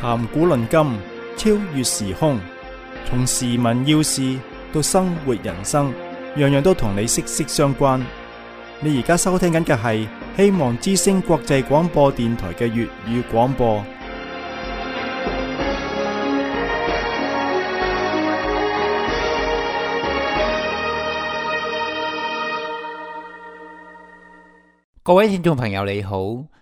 談古論今，超越時空，從時聞要事到生活人生，樣樣都同你息息相關。你而家收聽緊嘅係希望之聲國際廣播電台嘅粵語廣播。各位聽眾朋友你好，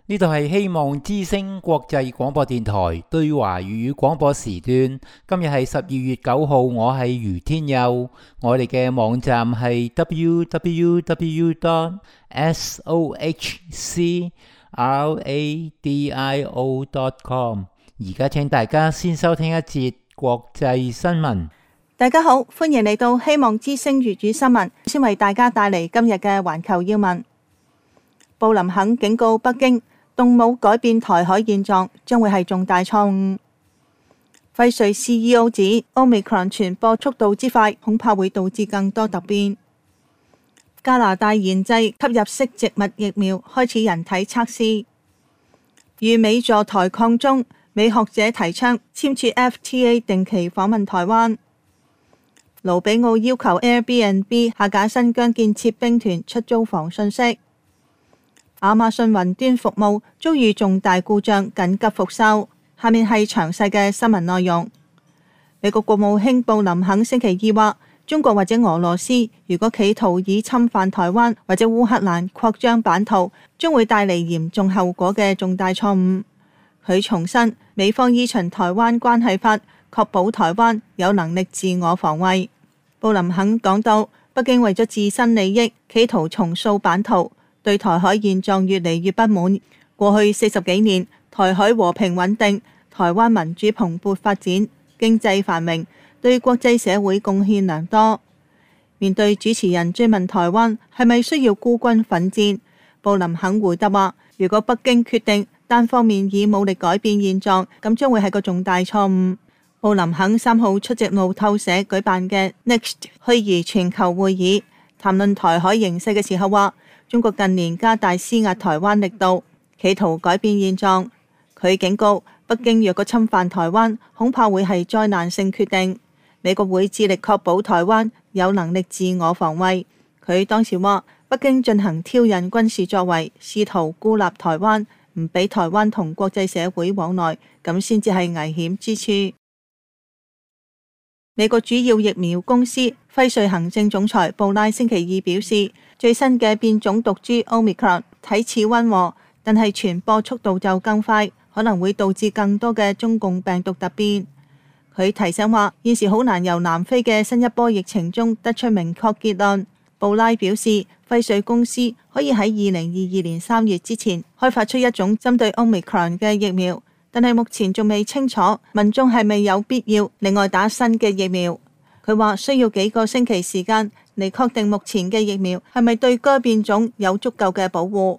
呢度係希望之聲國際廣播電台對華粵語廣播時段。今日係12月9號，我係余天佑。我哋嘅網站係 www.sohcradio.com。而家請大家先收聽一節國際新聞。大家好，歡迎嚟到希望之聲粵語新聞，先為大家帶嚟今日嘅環球要聞。布林肯警告北京，動武改變台海現狀將會係重大錯誤。輝瑞 CEO 指 Omicron 傳播速度之快，恐怕會導致更多突變。加拿大研製吸入式植物疫苗開始人體測試。與美助台抗中，美學者提倡簽署 FTA 定期訪問台灣。盧比奧要求 Airbnb 下架新疆建設兵團出租房信息。亞馬遜雲端服務遭遇重大故障，緊急復修。下面係詳細嘅新聞內容。美國國務卿布林肯星期二話，中國或者俄羅斯如果企圖以侵犯台灣或者烏克蘭擴張版圖，將會帶嚟嚴重後果嘅重大錯誤。佢重申，美方依循台灣關係法，確保台灣有能力自我防衛。布林肯講到，北京為咗自身利益，企圖重塑版圖，對台海現狀越嚟越不滿。過去40幾年，台海和平穩定，台灣民主蓬勃發展，經濟繁榮，對國際社會貢獻良多。面對主持人追問台灣係咪需要孤軍奮戰，布林肯回答話：如果北京決定單方面以武力改變現狀，咁將會係個重大錯誤。布林肯3號出席路透社舉辦嘅 Next 虛擬全球會議，談論台海形勢嘅時候話，中國近年加大施壓台灣力度，企圖改變現狀。佢警告，北京若果侵犯台灣，恐怕會係災難性決定。美國會致力確保台灣有能力自我防衛。佢當時話，北京進行挑釁軍事作為，試圖孤立台灣，唔俾台灣同國際社會往來，咁先至係危險之處。美國主要疫苗公司輝瑞行政總裁布拉星期二表示，最新嘅變種毒株 Omicron 睇似溫和，但係傳播速度就更快，可能會導致更多嘅中共病毒突變。佢提醒話，現時好難由南非嘅新一波疫情中得出明確結論。布拉表示，輝瑞公司可以喺2022年3月之前開發出一種針對 Omicron 嘅疫苗，但係目前仲未清楚民眾係咪有必要另外打新嘅疫苗。佢話需要幾個星期時間嚟確定目前嘅疫苗係咪對該變種有足夠嘅保護。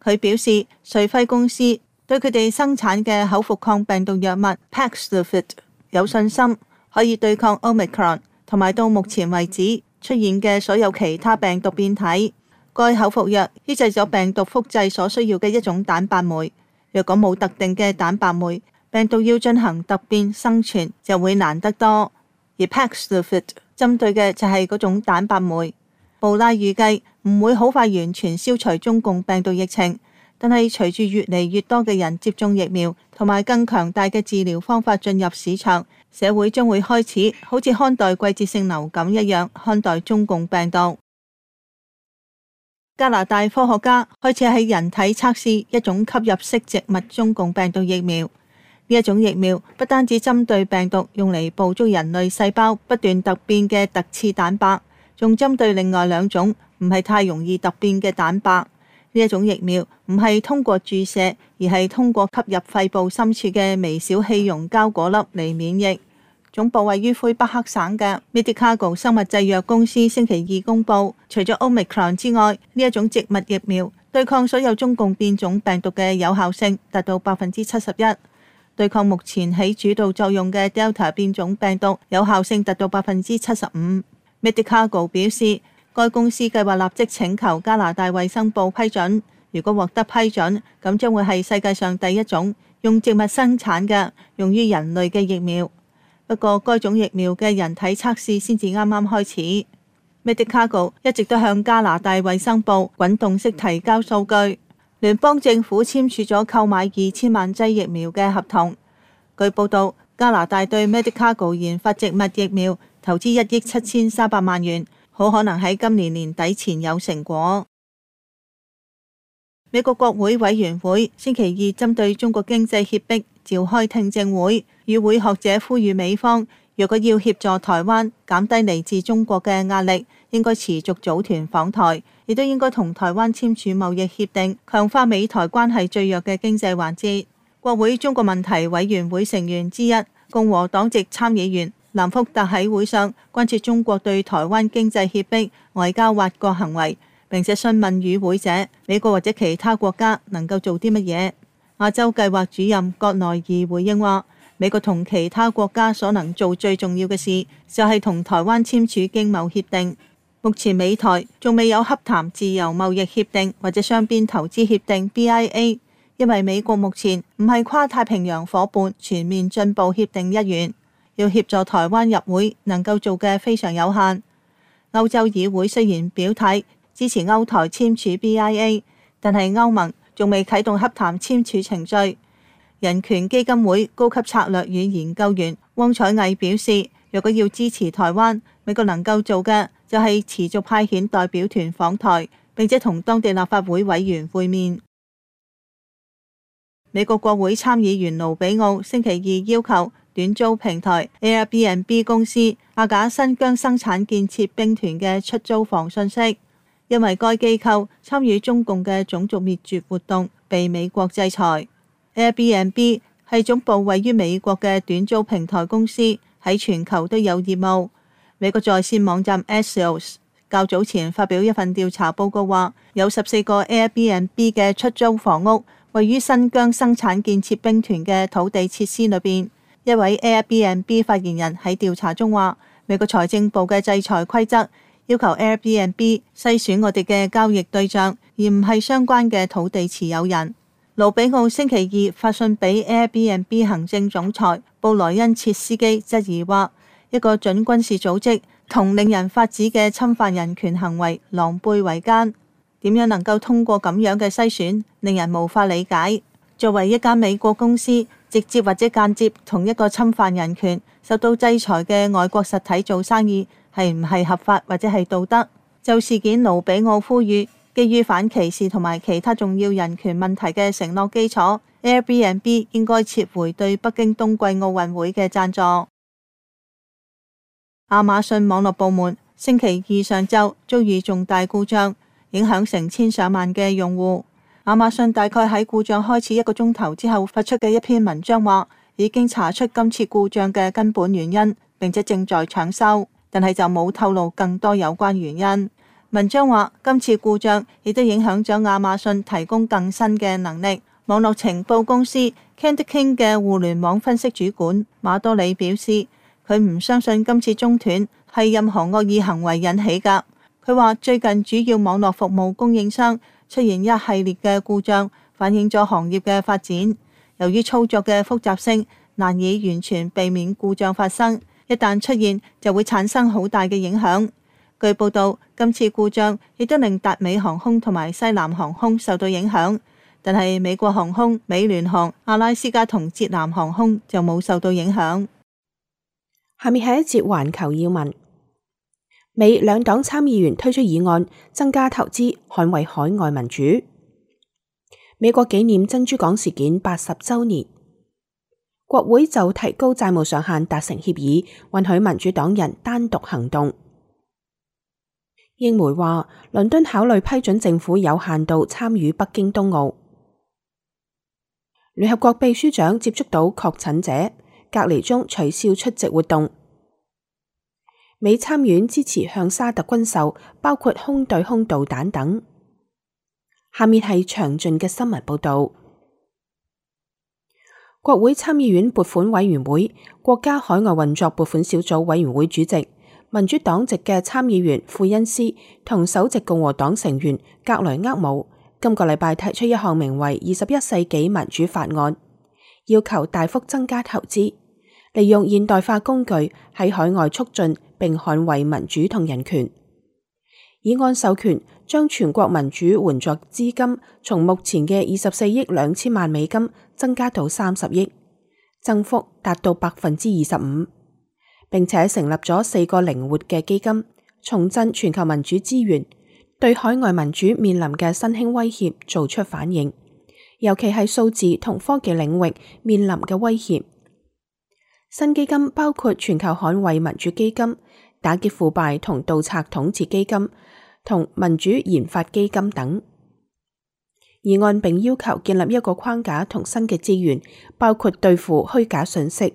佢表示，瑞輝公司對佢哋生產嘅口服抗病毒藥物 Paxlovid 有信心，可以對抗 Omicron 同埋到目前為止出現嘅所有其他病毒變體。該口服藥抑制咗病毒複製所需要嘅一種蛋白酶。若果冇特定嘅蛋白酶，病毒要進行突變生存就會難得多。而 Paxlovid 針對嘅就係嗰種蛋白酶。布拉預計唔會好快完全消除中共病毒疫情，但係隨住越嚟越多嘅人接種疫苗同埋更強大嘅治療方法進入市場，社會將會開始好似看待季節性流感一樣看待中共病毒。加拿大科學家開始喺人體測試一種吸入式植物中共病毒疫苗。呢一種疫苗不單止針對病毒用嚟捕捉人類細胞不斷突變嘅突刺蛋白，仲針對另外2種唔係太容易突變嘅蛋白。呢一種疫苗唔係通過注射，而係通過吸入肺部深處嘅微小氣溶膠果粒嚟免疫。總部位於魁北克省嘅 Medicago 生物製藥公司星期二公佈，除咗 Omicron 之外，呢一種植物疫苗對抗所有中共變種病毒嘅有效性達到71%，對抗目前起主導作用嘅 Delta 變種病毒有效性達到75%。Medicago 表示，該公司計劃立即請求加拿大衛生部批准，如果獲得批准，咁將會係世界上第一種用植物生產嘅用於人類嘅疫苗。不過，該種疫苗嘅人體測試先至啱啱開始。Medicago 一直都向加拿大衛生部滾動式提交數據。聯邦政府簽署咗購買2000萬劑疫苗嘅合同。據報道，加拿大對 Medicago 研發植物疫苗投資1億7300萬元，好可能喺今年年底前有成果。美國國會委員會星期二針對中國經濟脅迫召開聽證會，與會學者呼籲美方若果要協助台灣減低嚟自中國嘅壓力，應該持續組團訪台，亦都應該同台灣簽署貿易協定，強化美台關係最弱嘅經濟環節。國會中國問題委員會成員之一共和黨籍參議員蘭福特喺會上關切中國對台灣經濟脅迫、外交挖角行為，並且詢問與會者美國或者其他國家能夠做啲乜嘢。亞洲計劃主任葛內爾回應話，美國同其他國家所能做最重要嘅事就係同台灣簽署經貿協定。目前美台仲未有洽談自由貿易協定或者雙邊投資協定 BIA， 因為美國目前唔係跨太平洋夥伴全面進步協定一員，要協助台灣入會能夠做嘅非常有限。歐洲議會雖然表態支持歐台簽署 BIA， 但係歐盟仲未啟動洽談簽署程序。人權基金會高級策略與研究員汪彩毅表示，若果要支持台灣，美國能夠做嘅就係持續派遣代表團訪台，並且同當地立法會委員會面。美國國會參議員盧比奧星期二要求短租平台 Airbnb 公司下架新疆生產建設兵團嘅出租房信息，因為該機構參與中共嘅種族滅絕活動，被美國制裁。Airbnb 係總部位於美國嘅短租平台公司，喺全球都有業務。美國在線網站 Axios 較早前發表一份調查報告話，有14個 Airbnb 嘅出租房屋位於新疆生產建設兵團嘅土地設施裏邊。一位 Airbnb 發言人喺調查中話，美國財政部嘅制裁規則要求 Airbnb 篩選我哋嘅交易對象，而唔係相關嘅土地持有人。盧比奧星期二發信俾 Airbnb 行政總裁布萊恩切斯基，質疑話一個準軍事組織同令人髮指嘅侵犯人權行為狼狽為奸，點樣能夠通過咁樣嘅篩選，令人無法理解。作為一間美國公司，直接或者間接同一個侵犯人權、受到制裁嘅外國實體做生意，係唔係合法或者係道德？就事件，盧比奧呼籲基於反歧視同埋其他重要人權問題嘅承諾基礎， Airbnb 應該撤回對北京冬季奧運會嘅贊助。亞馬遜網絡部門星期二上晝遭遇重大故障，影響成千上萬嘅用戶。亞馬遜大概喺故障開始1個鐘頭之後發出嘅一篇文章話，已經查出今次故障嘅根本原因，並且正在搶修，但係就冇透露更多有關原因。文章話，今次故障亦都影響咗亞馬遜提供更新嘅能力。網絡情報公司 Candy King 嘅互聯網分析主管馬多里表示，佢唔相信今次中斷係任何惡意行為引起㗎。佢話最近主要網絡服務供應商出現一系列嘅故障，反映咗行業嘅發展。由於操作嘅複雜性，難以完全避免故障發生，一旦出現就會產生好大嘅影響。據報道，今次故障亦都令達美航空同埋西南航空受到影響，但係美國航空、美聯航、阿拉斯加同捷南航空就冇受到影響。下面係一節環球要聞。美兩黨參議員推出議案，增加投資，捍衛海外民主。美國紀念珍珠港事件80週年，國會就提高債務上限達成協議，允許民主黨人單獨行動。英媒話，倫敦考慮批准政府有限度參與北京冬奧。聯合國秘書長接觸到確診者，隔離中取消出席活動。美參院支持向沙特軍售，包括空對空導彈等。下面係詳盡嘅新聞報道。國會參議院撥款委員會國家海外運作撥款小組委員會主席，民主黨籍嘅參議員庫恩斯同首席共和黨成員格雷厄姆今個禮拜提出一項名為21世紀民主法案，要求大幅增加投資，利用現代化工具喺海外促進並捍衛民主同人權。議案授權將全國民主援助資金從目前嘅24億2千萬美金增加到30億，增幅達到25%，並且成立咗4個靈活嘅基金，重振全球民主資源，對海外民主面臨嘅新興威脅做出反應，尤其係數字同科技領域面臨嘅威脅。新基金包括全球捍衛民主基金、打擊腐敗同盜賊統治基金同民主研發基金等。議案並要求建立一個框架同新嘅資源，包括對付虛假信息、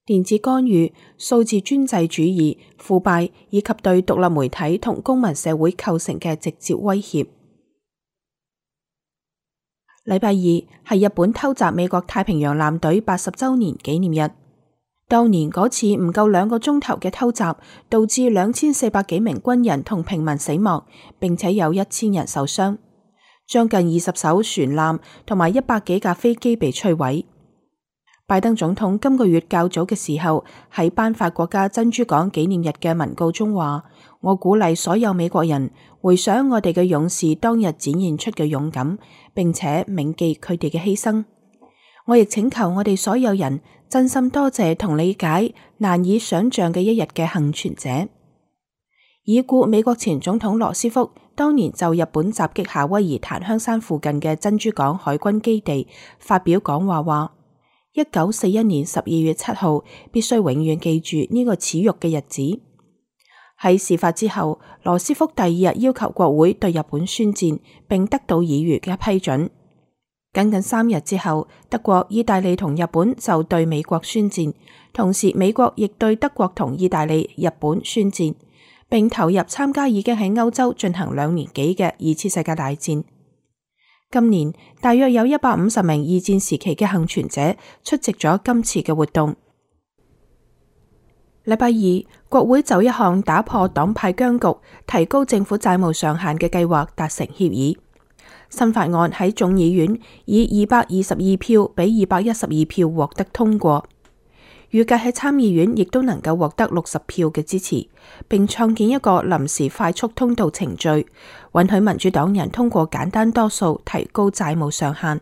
電子干預、數字專制主義、腐敗以及對獨立媒體同公民社會構成嘅直接威脅。禮拜二係日本偷襲美國太平洋艦隊80週年紀念日。當年嗰次唔夠2個鐘頭嘅偷襲，導致2400幾名軍人同平民死亡，並且有1000人受傷，將近20艘船艦同埋100幾架飛機被摧毀。拜登總統今個月較早嘅時候喺頒發國家珍珠港紀念日嘅文告中話：我鼓勵所有美國人回想我哋嘅勇士當日展現出嘅勇敢，並且銘記佢哋嘅犧牲。我亦請求我哋所有人真心多謝同理解難以想象嘅一日嘅幸存者。已故美國前總統羅斯福當年就日本襲擊夏威夷檀香山附近嘅珍珠港海軍基地發表講話話：1941年12月7號必須永遠記住呢個恥辱嘅日子。喺事發之後，羅斯福第2日要求國會對日本宣戰，並得到議員嘅批准。僅僅3日之後，德國、意大利同日本就對美國宣戰，同時美國亦對德國同意大利、日本宣戰，並投入參加已經喺歐洲進行2年幾嘅2次世界大戰。今年大約有150名二戰時期嘅幸存者出席咗今次嘅活動。禮拜二，國會就一項打破黨派僵局、提高政府債務上限嘅計劃達成協議。新法案喺眾議院以222票比212票獲得通過，預計喺參議院亦都能夠獲得60票嘅支持，並創建一個臨時快速通道程序，允許民主黨人通過簡單多數提高債務上限。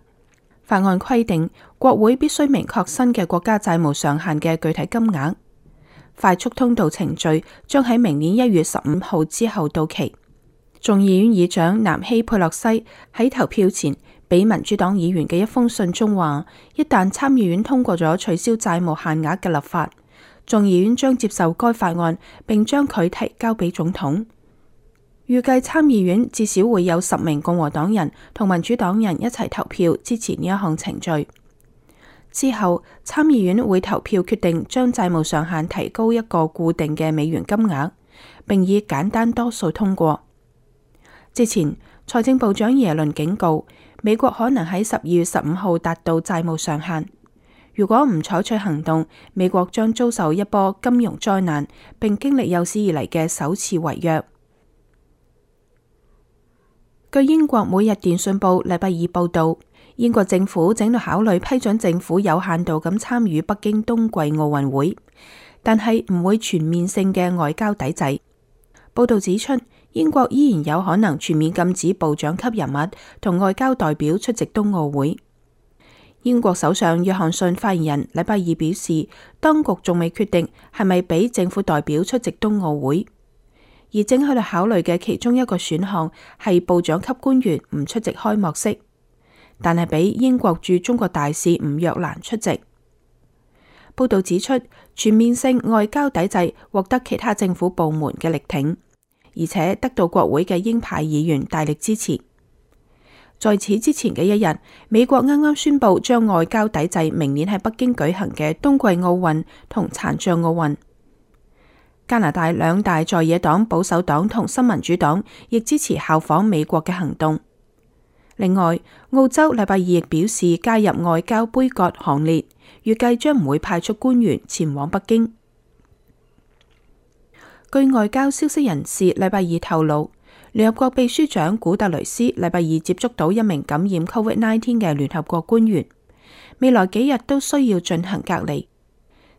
法案規定，國會必須明確新嘅國家債務上限嘅具體金額。快速通道程序將喺明年1月15號之後到期。眾議院議長南希佩洛西喺投票前俾民主黨議員嘅一封信中話，一旦參議院通過咗取消債務限額嘅立法，眾議院將接受該法案，並將佢提交俾總統。預計參議院至少會有10名共和黨人同民主黨人一齊投票支持呢一項程序。之後，參議院會投票決定將債務上限提高一個固定嘅美元金額，並以簡單多數通過。之前，財政部長耶倫警告，美國可能喺12月15號達到債務上限。如果唔採取行動，美國將遭受一波金融災難，並經歷有史以嚟嘅首次違約。據英國每日電訊報禮拜二報道，英國政府正在考慮批准政府有限度咁參與北京冬季奧運會，但係唔會全面性嘅外交抵制。報道指出，英國依然有可能全面禁止部長級人物同外交代表出席冬奧會。英國首相約翰遜發言人禮拜二表示，當局仲未決定係咪俾政府代表出席冬奧會，而正喺度考慮嘅其中一個選項係部長級官員唔出席開幕式，但係俾英國駐中國大使吳若蘭出席。報道指出，全面性外交抵制獲得其他政府部門嘅力挺，而且得到國會嘅鷹派議員大力支持。在此之前嘅一日，美國啱啱宣布將外交抵制明年喺北京舉行嘅冬季奧運同殘障奧運。加拿大2大在野黨保守黨同新民主黨亦支持效仿美國嘅行動。另外，澳洲禮拜二亦表示加入外交杯葛行列，預計將唔會派出官員前往北京。據外交消息人士禮拜二透露，聯合國秘書長古特雷斯禮拜二接觸到一名感染 COVID-19 嘅聯合國官員，未來幾日都需要進行隔離。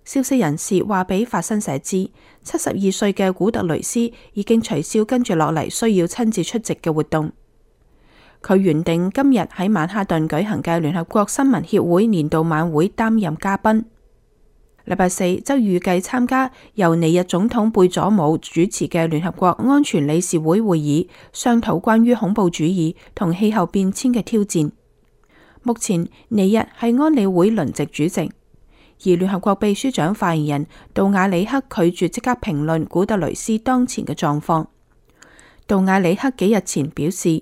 消息人士話俾法新社知，72歲嘅古特雷斯已經取消跟住落嚟需要親自出席嘅活動。佢原定今日喺曼哈頓舉行嘅聯合國新聞協會年度晚會擔任嘉賓。禮拜四則預計參加由尼日總統貝佐姆主持嘅聯合國安全理事會會議，商討關於恐怖主義同氣候變遷嘅挑戰。目前尼日係安理會輪值主席，而聯合國秘書長發言人杜瓦里克拒絕即刻評論古特雷斯當前嘅狀況。杜瓦里克幾日前表示，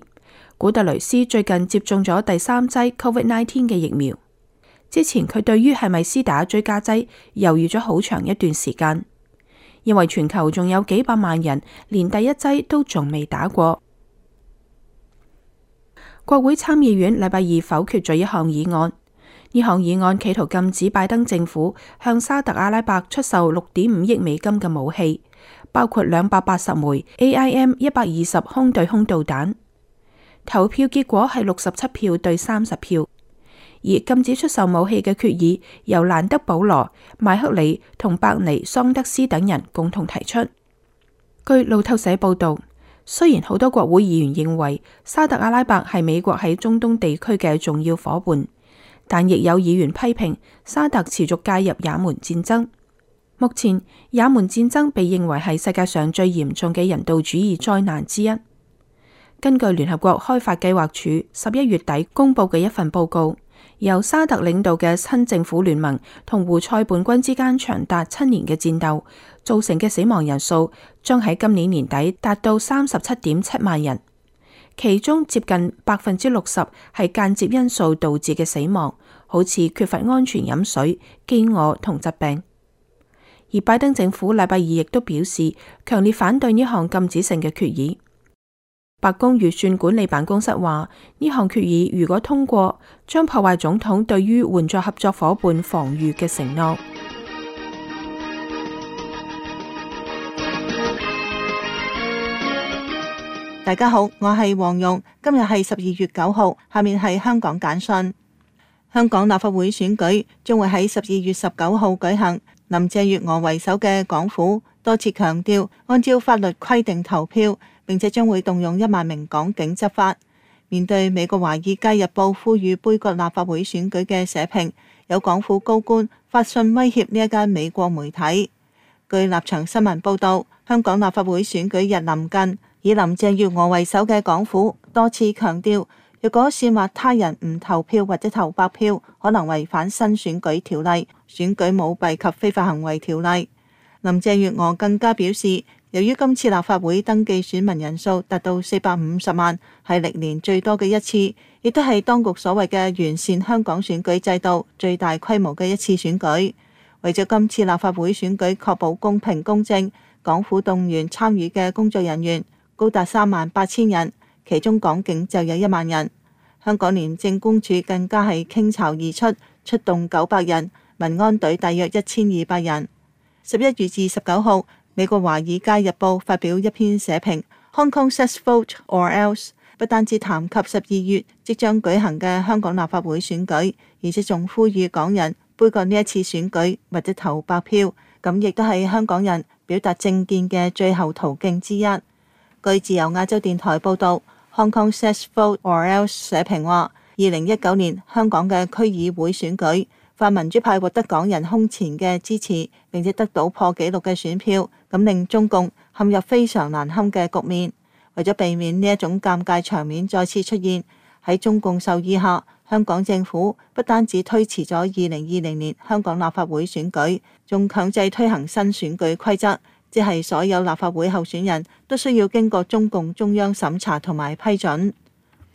古特雷斯最近接種咗第3劑 COVID-19 嘅疫苗。之前佢對於係咪施打追加劑猶豫咗好長一段時間，因為全球仲有幾百萬人連第1劑都仲未打過。國會參議院禮拜二否決咗一項議案，呢項議案企圖禁止拜登政府向沙特阿拉伯出售6.5億美金嘅武器，包括280枚 AIM-120空對空導彈。投票結果係67票對30票。而禁止出售武器嘅決議由蘭德保羅、麥克里同伯尼桑德斯等人共同提出。據路透社報道，雖然好多國會議員認為沙特阿拉伯係美國喺中東地區嘅重要夥伴，但亦有議員批評沙特持續介入也門戰爭。目前也門戰爭被認為係世界上最嚴重嘅人道主義災難之一。根據聯合國開發計劃署11月底公佈嘅一份報告，由沙特領導嘅親政府聯盟同胡塞叛軍之間長達7年嘅戰鬥造成嘅死亡人數將喺今年年底達到37.7萬人，其中接近60%係間接因素導致嘅死亡，好似缺乏安全飲水、飢餓同疾病。而拜登政府禮拜二亦都表示強烈反對呢項禁止性嘅決議。白宮預算管理辦公室話，呢項決議如果通過，將破壞總統對於援助合作夥伴防禦嘅承諾。大家好，我係黃蓉，今日係12月9號，下面係香港簡訊。香港立法會選舉將會喺12月19號舉行。林鄭月娥為首嘅港府多次強調，按照法律規定投票，並且將會動用1萬名港警執法。面對美國《華爾街日報》呼籲杯葛立法會選舉嘅社評，有港府高官發信威脅呢一間美國媒體。據立場新聞報道，香港立法會選舉日臨近，以林鄭月娥為首嘅港府多次強調，若果煽惑他人唔投票或者投白票，可能違反新選舉條例、選舉舞弊及非法行為條例。林鄭月娥更加表示，由於今次立法會登記選民人數達到450萬，係歷年最多嘅一次，亦都係當局所謂嘅完善香港選舉制度最大規模嘅一次選舉。為咗今次立法會選舉確保公平公正，港府動員參與嘅工作人員高達38000人，其中港警就有1萬人。香港廉政公署更加係傾巢而出，出動900人，民安隊大約1200人。11月29號，美國《華爾街日報》發表一篇社評 ，Hong Kong says vote or else， 不單止談及12月即將舉行嘅香港立法會選舉，而且仲呼籲港人杯葛呢一次選舉或者投白票，咁亦都係香港人表達政見嘅最後途徑之一。據自由亞洲電台報導， Hong Kong says vote or else 社評話，2019年香港嘅區議會選舉，泛民主派獲得港人空前嘅支持，並且得到破紀錄嘅選票，咁令中共陷入非常難堪嘅局面。為咗避免呢一種尷尬場面再次出現，喺中共授意下，香港政府不單止推遲咗2020年香港立法會選舉，仲強制推行新選舉規則，即係所有立法會候選人都需要經過中共中央審查同埋批准。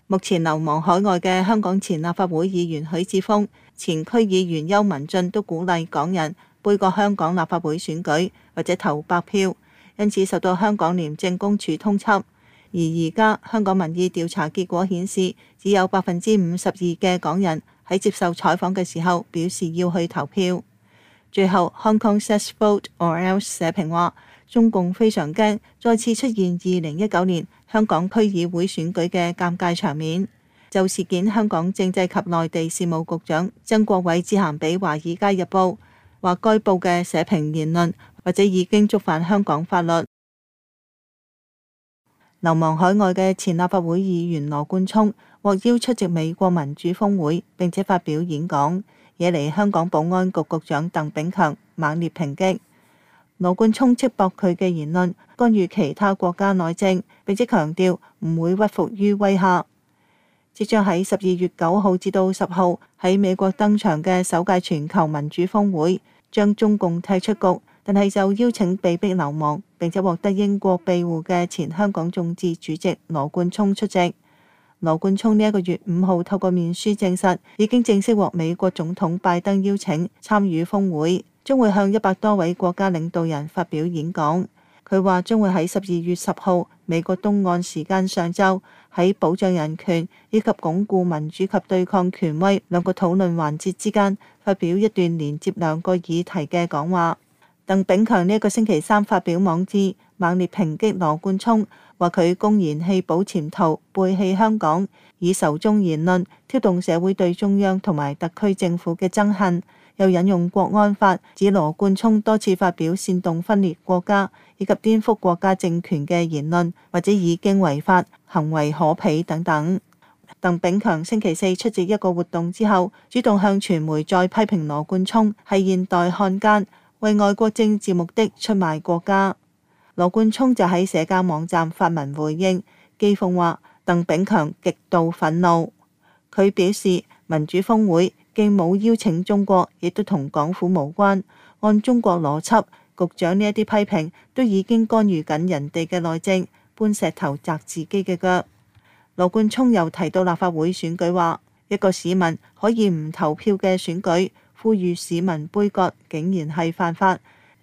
目前流亡海外嘅香港前立法會議員許智峰、前區議員邱文俊都鼓勵港人杯葛香港立法會選舉或者投白票，因此受到香港廉政公署通緝。而家香港民意調查結果顯示，只有52%嘅港人喺接受採訪嘅時候表示要去投票。最後 Hong Kong says vote or else 社評話，中共非常驚再次出現2019年香港區議會選舉嘅尷尬場面。就事件，香港政制及內地事務局長曾國衛致函俾《華爾街日報》，話該報嘅社評言論或者已經觸犯香港法律。流亡海外嘅前立法會議員羅冠聰獲邀出席美國民主峰會，並且發表演講，惹嚟香港保安局局長鄧炳強猛烈抨擊。羅冠聰斥駁佢嘅言論干預其他國家內政，並且強調唔會屈服於威嚇。即將喺12月9號至到10號喺美國登場嘅首屆全球民主峰會，將中共踢出局，但係就邀請被逼流亡並且獲得英國庇護嘅前香港眾志主席羅冠聰出席。羅冠聰呢一個月5號透過面書證實，已經正式獲美國總統拜登邀請參與峰會，將會向100多位國家領導人發表演講。佢話將會喺12月10號美國東岸時間上晝喺保障人權以及鞏固民主及對抗權威兩個討論環節之間發表一段連接兩個議題嘅講話。鄧炳強呢一個星期三發表網誌，猛烈抨擊羅冠聰，話佢公然棄保潛逃、背棄香港，以仇中言論挑動社會對中央同埋特區政府嘅憎恨。又引用國安法，指羅冠聰多次發表煽動分裂國家以及顛覆國家政權嘅言論，或者已經違法、行為可鄙等等。鄧炳強星期四出席一個活動之後，主動向傳媒再批評羅冠聰係現代漢奸，為外國政治目的出賣國家。羅冠聰就喺社交網站發文回應，譏諷話鄧炳強極度憤怒。佢表示民主峰會既冇邀請中國，亦都同港府無關。按中國邏輯，局長呢一啲批評都已經干預緊人哋嘅內政，搬石頭砸自己嘅腳。羅冠聰又提到立法會選舉話，一個市民可以唔投票嘅選舉，呼籲市民杯葛，竟然係犯法。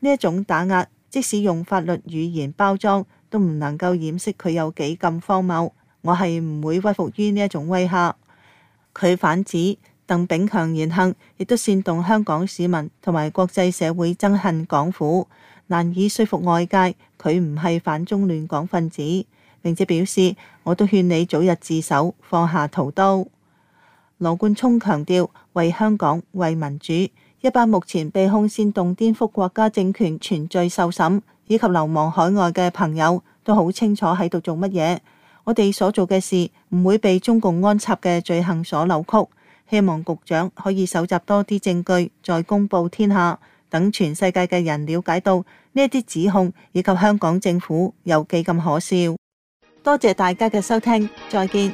呢一種打壓，即使用法律語言包裝，都唔能夠掩飾佢有幾咁荒謬。我係唔會屈服於呢一種威嚇。佢反指鄧炳強言行亦都煽動香港市民同埋國際社會憎恨港府，難以說服外界佢唔係反中亂港分子，並且表示我都勸你早日自首，放下屠刀。羅冠聰強調，為香港、為民主，一班目前被控煽動顛覆國家政權全罪受審以及流亡海外嘅朋友都好清楚喺度做乜嘢。我哋所做嘅事唔會被中共安插嘅罪行所扭曲。希望局長可以搜集多啲證據，再公佈天下，等全世界嘅人了解到呢一啲指控以及香港政府有幾咁可笑。多謝大家嘅收聽，再見。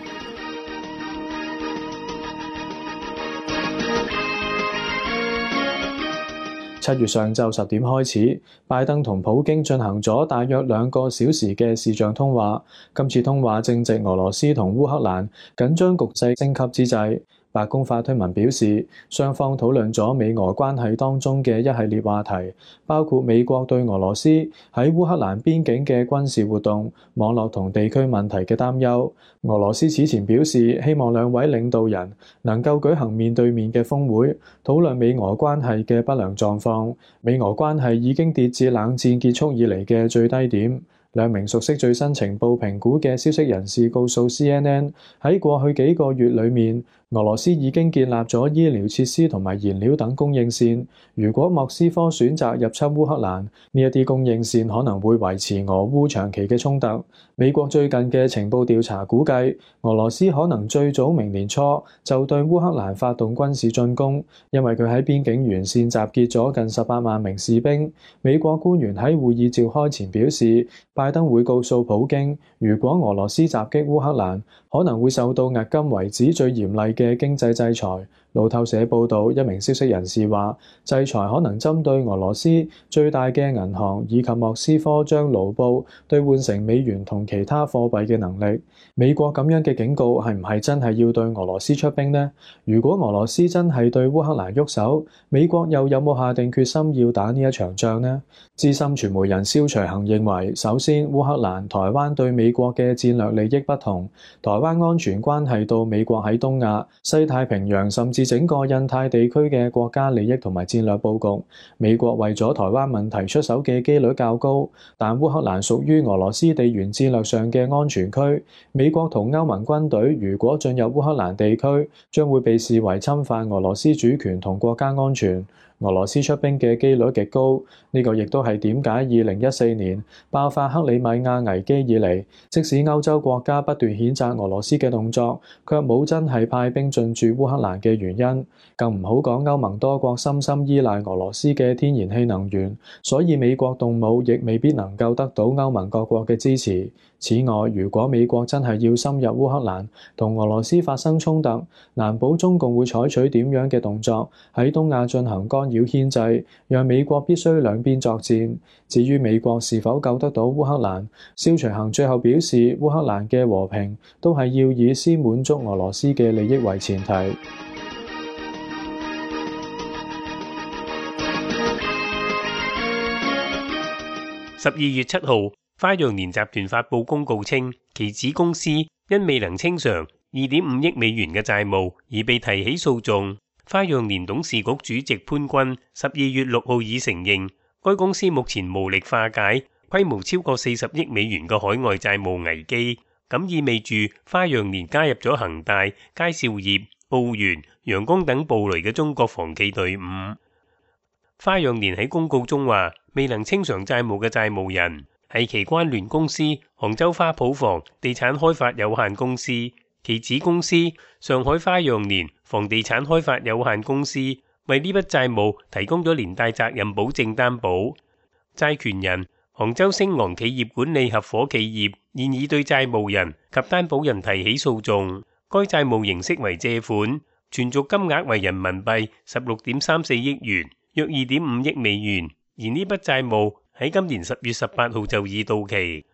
7月上晝10點開始，拜登同普京進行咗大約2個小時嘅視像通話。今次通話正值俄羅斯同烏克蘭緊張局勢升級之際。白宮發推文表示，雙方討論咗美俄關係當中嘅一系列話題，包括美國對俄羅斯喺烏克蘭邊境嘅軍事活動、網絡同地區問題嘅擔憂。俄羅斯此前表示，希望兩位領導人能夠舉行面對面嘅峰會，討論美俄關係嘅不良狀況。美俄關係已經跌至冷戰結束以嚟嘅最低點。兩名熟悉最新情報評估嘅消息人士告訴 CNN， 喺過去幾個月裏面，俄羅斯已經建立咗醫療設施同埋燃料等供應線。如果莫斯科選擇入侵烏克蘭，呢一啲供應線可能會維持俄烏長期嘅衝突。美國最近嘅情報調查估計，俄羅斯可能最早明年初就對烏克蘭發動軍事進攻，因為佢喺邊境沿線集結咗近18萬名士兵。美國官員喺會議召開前表示，拜登會告訴普京，如果俄羅斯襲擊烏克蘭，可能會受到迄今為止最嚴厲嘅經濟制裁。路透社報導，一名消息人士話，制裁可能針對俄羅斯最大嘅銀行以及莫斯科將盧布兌換成美元同其他貨幣嘅能力。美國咁樣嘅警告係唔係真係要對俄羅斯出兵呢？如果俄羅斯真係對烏克蘭喐手，美國又有冇下定決心要打呢一場仗呢？資深傳媒人蕭隨行認為，首先烏克蘭、台灣對美國嘅戰略利益不同，台灣安全關係到美國喺東亞、西太平洋甚至至整個印太地區嘅國家利益同埋戰略佈局。美國為咗台灣問題出手嘅機率較高，但烏克蘭屬於俄羅斯地緣戰略上嘅安全區。美國同歐盟軍隊如果進入烏克蘭地區，將會被視為侵犯俄羅斯主權同國家安全。俄羅斯出兵嘅機率極高，呢個亦都係點解2014年爆發克里米亞危機以嚟，即使歐洲國家不斷譴責俄羅斯嘅動作，卻冇真係派兵進駐烏克蘭嘅原因。更唔好講歐盟多國深深依賴俄羅斯嘅天然氣能源，所以美國動武亦未必能夠得到歐盟各國嘅支持。此外，如果美國真係要深入烏克蘭同俄羅斯發生衝突，難保中共會採取點樣嘅動作喺東亞進行干擾牽制，讓美國必須兩邊作戰。至於美國是否救得到烏克蘭，蕭隨行最後表示，烏克蘭嘅和平都係要以先滿足俄羅斯嘅利益為前提。12月7號，花樣年集團發布公告稱，其子公司因未能清償2.5億美元嘅債務而被提起訴訟。花樣年董事局主席潘軍12月6號已承認，該公司目前無力化解規模超過40億美元嘅海外債務危機，咁意味住花樣年加入咗恒大、佳兆業、澳元、陽光等暴雷嘅中國房企隊伍。花樣年喺公告中話，未能清償債務嘅債務人係其關聯公司杭州花圃房地產開發有限公司，其子公司上海花樣年房地產開發有限公司為呢筆債務提供咗連帶責任保證擔保。債權人杭州星昂企業管理合夥企業現已對債務人及擔保人提起訴訟。該債務形式為借款，存續金額為人民幣16.34億元，約2.5億美元。而呢筆債務喺今年10月18號就已到期。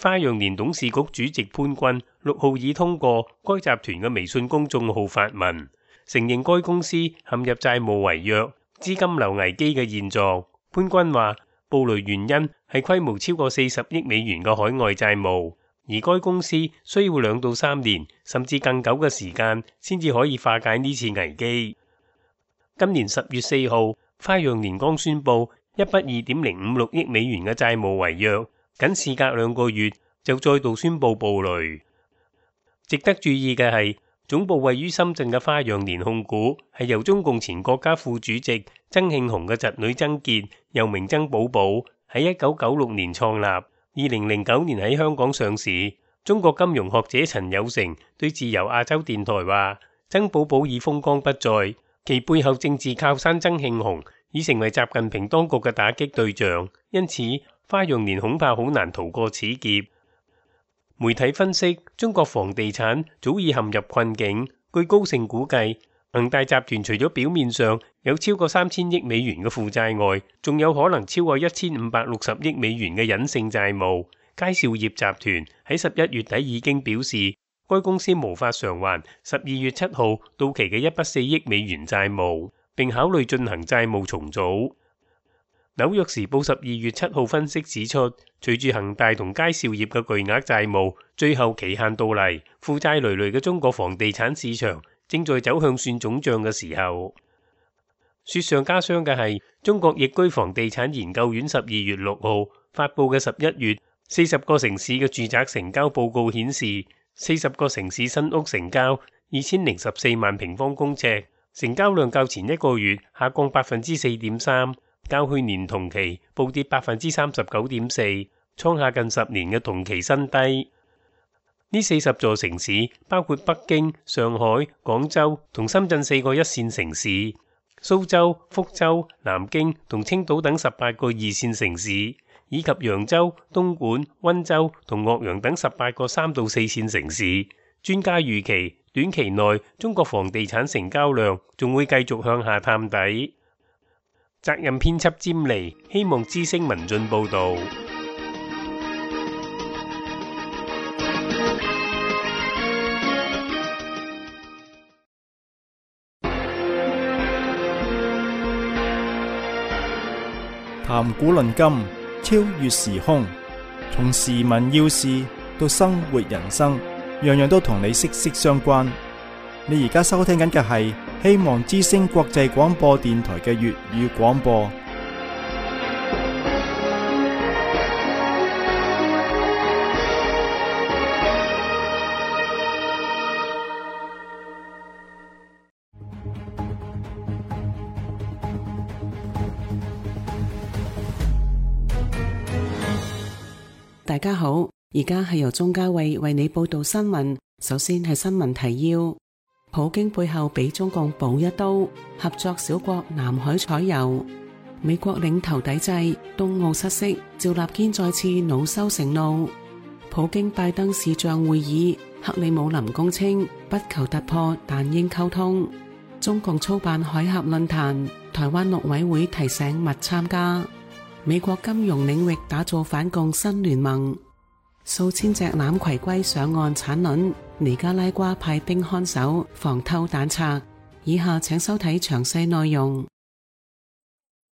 花樣年董事局主席潘軍6號已通過該集團嘅微信公眾號發文，承認該公司陷入債務違約、資金流危機嘅現狀。潘軍話，暴雷原因係規模超過40億美元嘅海外債務，而該公司需要2到3年甚至更久嘅時間先至可以化解呢次危機。今年10月4號，花樣年剛宣布一筆2.056億美元嘅債務違約，僅事隔2個月就再度宣布暴雷。值得注意嘅係，總部位於深圳嘅花樣年控股係由中共前國家副主席曾慶紅嘅侄女曾潔，又名曾寶寶，喺1996年創立，2009年喺香港上市。中國金融學者陳有成對自由亞洲電台話，曾寶寶已風光不再，其背後政治靠山曾慶紅已成為習近平當局嘅打擊對象，因此花樣年恐怕好難逃過此劫。媒體分析，中國房地產早已陷入困境。據高盛估計，恒大集團除咗表面上有超過3000億美元嘅負債外，仲有可能超過1560億美元嘅隱性債務。佳兆業集團喺11月底已經表示，該公司無法償還12月7號到期嘅一筆4億美元債務，並考慮進行債務重組。紐約時報12月7號分析指出，隨住恒大同佳兆業嘅巨額債務最後期限到嚟，負債累累嘅中國房地產市場正在走向算總賬嘅時候。雪上加霜嘅係，中國易居房地產研究院12月6號發布嘅11月40個城市嘅住宅成交報告顯示，40個城市新屋成交2014萬平方公尺，成交量較前一個月下降 4.3%。較去年同期暴跌 39.4%， 創下近10年嘅同期新低。呢40座城市包括北京、上海、廣州同深圳4個一線城市，蘇州、福州、南京同青島等18個二線城市，以及揚州、東莞、溫州同岳陽等18個3到4線城市。專家預期短期內中國房地產成交量仲會繼續向下探底。責任編輯詹妮，希望之聲文進報道。談古論今，超越時空，從時聞要事到生活人生，樣樣都同你息息相關。你而家收聽緊嘅係希望之聲國際廣播電台嘅粵語廣播。大家好，而家係由鍾嘉慧為你報道新聞。首先係新聞提要：普京背後俾中共補一刀，合作小國南海採油；美國領頭抵制，東奧失色，趙立堅再次惱羞成怒；普京拜登視像會議，克里姆林公稱不求突破，但應溝通；中共操辦海峽論壇，台灣陸委會提醒勿參加；美國金融領域打造反共新聯盟。數千隻欖葵龜上岸產卵，尼加拉瓜派兵看守，防偷蛋賊。以下請收睇詳細內容。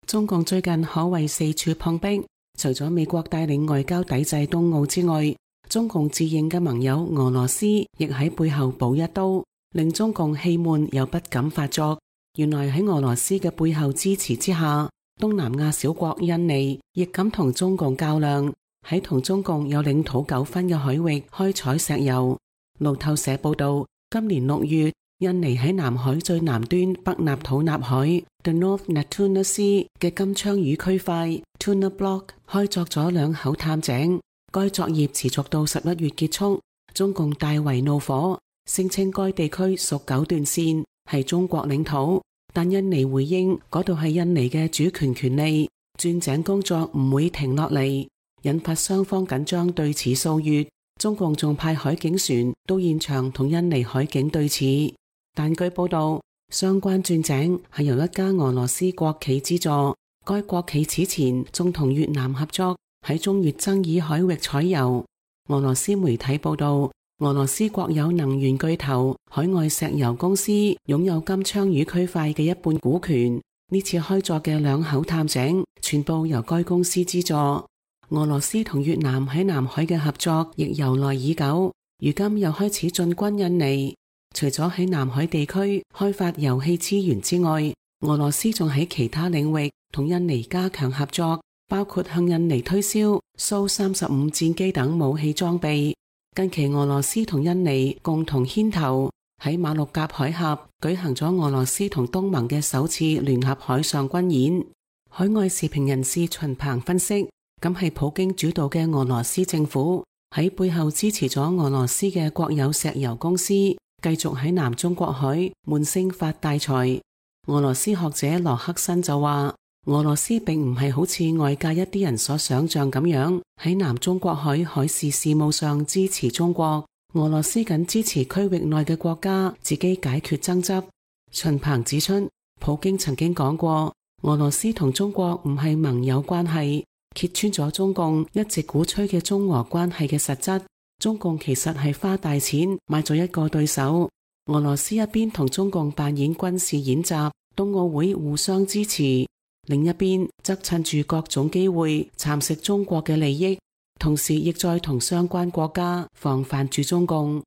中共最近可謂四處碰壁，除咗美國帶領外交抵制東奧之外，中共自認嘅盟友俄羅斯亦喺背後補一刀，令中共氣悶又不敢發作。原來喺俄羅斯嘅背後支持之下，東南亞小國印尼亦敢同中共較量，喺同中共有領土糾紛嘅海域開採石油。路透社報道，今年6月，印尼喺南海最南端北納土納海 The North Natuna Sea 嘅金槍魚區塊 Tuna Block 開鑿咗2口探井，該作業持續到11月結束。中共大為怒火，聲稱該地區屬9段線，係中國領土，但印尼回應嗰度係印尼嘅主權權利，鑽井工作唔會停落嚟，引發雙方緊張對峙數月。中共仲派海警船到現場同印尼海警對峙，但據報道，相關鑽井係由一家俄羅斯國企資助，該國企此前仲同越南合作喺中越爭議海域採油。俄羅斯媒體報道，俄羅斯國有能源巨頭海外石油公司擁有金槍魚區塊嘅一半股權，呢次開鑿嘅2口探井全部由該公司資助。俄羅斯同越南喺南海嘅合作亦由來已久，如今又開始進軍印尼。除咗喺南海地區開發油氣資源之外，俄羅斯仲喺其他領域同印尼加強合作，包括向印尼推銷蘇35戰機等武器裝備。近期俄羅斯同印尼共同牽頭喺馬六甲海峽舉行咗俄羅斯同東盟嘅首次聯合海上軍演。海外時評人士秦鵬分析，咁係普京主導嘅俄羅斯政府喺背後支持咗俄羅斯嘅國有石油公司，繼續喺南中國海悶聲發大財。俄羅斯學者羅克申就話，俄羅斯並唔係好似外界一啲人所想象咁樣喺南中國海海事事務上支持中國，俄羅斯僅支持區域內嘅國家自己解決爭執。秦鵬指出，普京曾經講過，俄羅斯同中國唔係盟友關係，揭穿咗中共一直鼓吹嘅中俄關係嘅實質。中共其實係花大錢買咗一個對手，俄羅斯一邊同中共扮演軍事演習，冬奧會互相支持，另一邊則趁住各種機會蠶食中國嘅利益，同時亦在同相關國家防範住中共。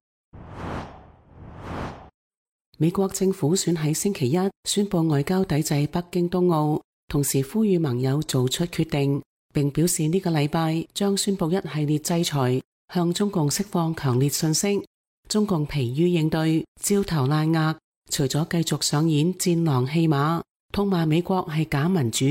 美國政府選喺星期一宣布外交抵制北京冬奧，同時呼籲盟友做出決定，並表示呢個禮拜將宣布一系列制裁，向中共釋放強烈訊息。中共疲於應對，焦頭爛額，除咗繼續上演戰狼戲碼，痛罵美國係假民主，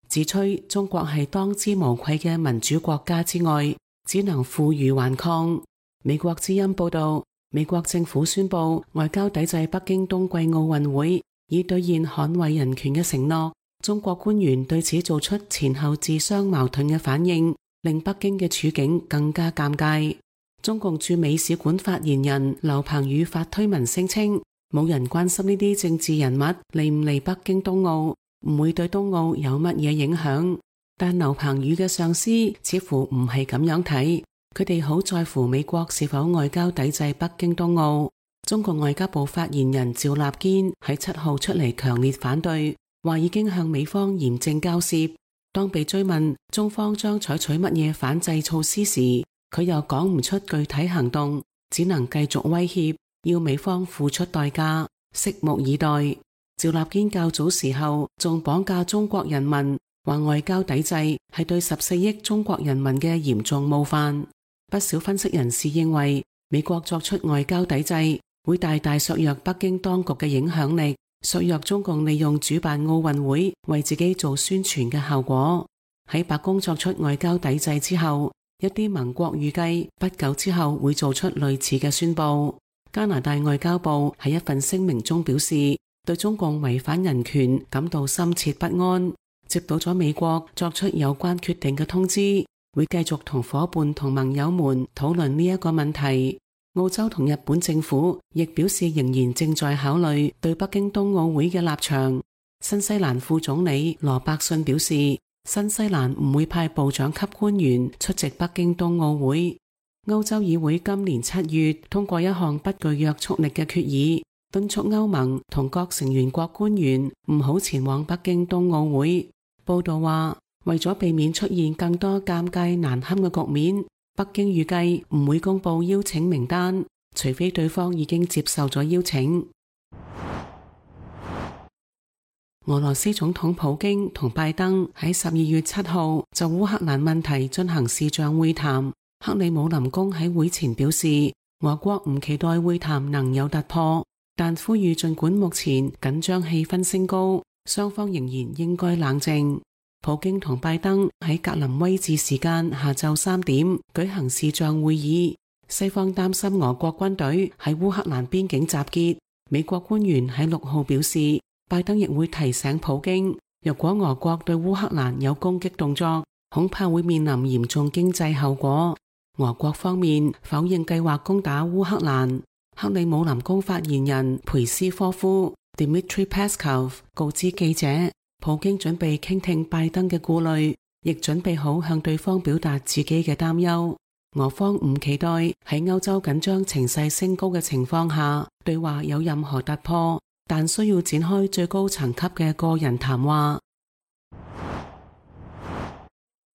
自吹中國係當之無愧嘅民主國家之外，只能負隅頑抗。美國之音報道，美國政府宣布外交抵制北京冬季奧運會，以兌現捍衛人權嘅承諾。中國官員對此做出前後自相矛盾嘅反應，令北京嘅處境更加尷尬。中共駐美使館發言人劉鵬宇發推文聲稱，冇人關心呢啲政治人物嚟唔嚟北京冬奧，唔會對冬奧有乜嘢影響。但劉鵬宇嘅上司似乎唔係咁樣睇，佢哋好在乎美國是否外交抵制北京冬奧。中國外交部發言人趙立堅喺7號出嚟強烈反對，話已經向美方嚴正交涉。當被追問中方將採取乜嘢反制措施時，佢又講唔出具體行動，只能繼續威脅，要美方付出代價，拭目以待。趙立堅較早時候仲綁架中國人民，話外交抵制係對14億中國人民嘅嚴重冒犯。不少分析人士認為，美國作出外交抵制會大大削弱北京當局嘅影響力，削弱中共利用主辦奧運會為自己做宣傳嘅效果。喺白宮作出外交抵制之後，一啲盟國預計不久之後會做出類似嘅宣佈。加拿大外交部喺一份聲明中表示，對中共違反人權感到深切不安，接到咗美國作出有關決定嘅通知，會繼續同夥伴同盟友們討論呢一個問題。澳洲同日本政府亦表示仍然正在考慮對北京冬奧會嘅立場。新西蘭副總理羅伯遜表示，新西蘭唔會派部長級官員出席北京冬奧會。歐洲議會今年7月通過一項不具約束力嘅決議，敦促歐盟同各成員國官員唔好前往北京冬奧會。報道話，為咗避免出現更多尷尬難堪嘅局面，北京預計唔會公布邀請名單，除非對方已經接受咗邀請。俄羅斯總統普京同拜登喺12月7號就烏克蘭問題進行視像會談。克里姆林宮喺會前表示，俄國唔期待會談能有突破，但呼籲盡管目前緊張氣氛升高，雙方仍然應該冷靜。普京同拜登喺格林威治時間下晝3點舉行視像會議。西方擔心俄國軍隊喺烏克蘭邊境集結。美國官員喺6號表示，拜登亦會提醒普京，若果俄國對烏克蘭有攻擊動作，恐怕會面臨嚴重經濟後果。俄國方面否認計劃攻打烏克蘭。克里姆林宮發言人佩斯科夫 Dmitry Peskov 告知記者，普京準備傾聽拜登嘅顧慮，亦準備好向對方表達自己嘅擔憂。俄方唔期待喺歐洲緊張情勢升高嘅情況下，對話有任何突破，但需要展開最高層級嘅個人談話。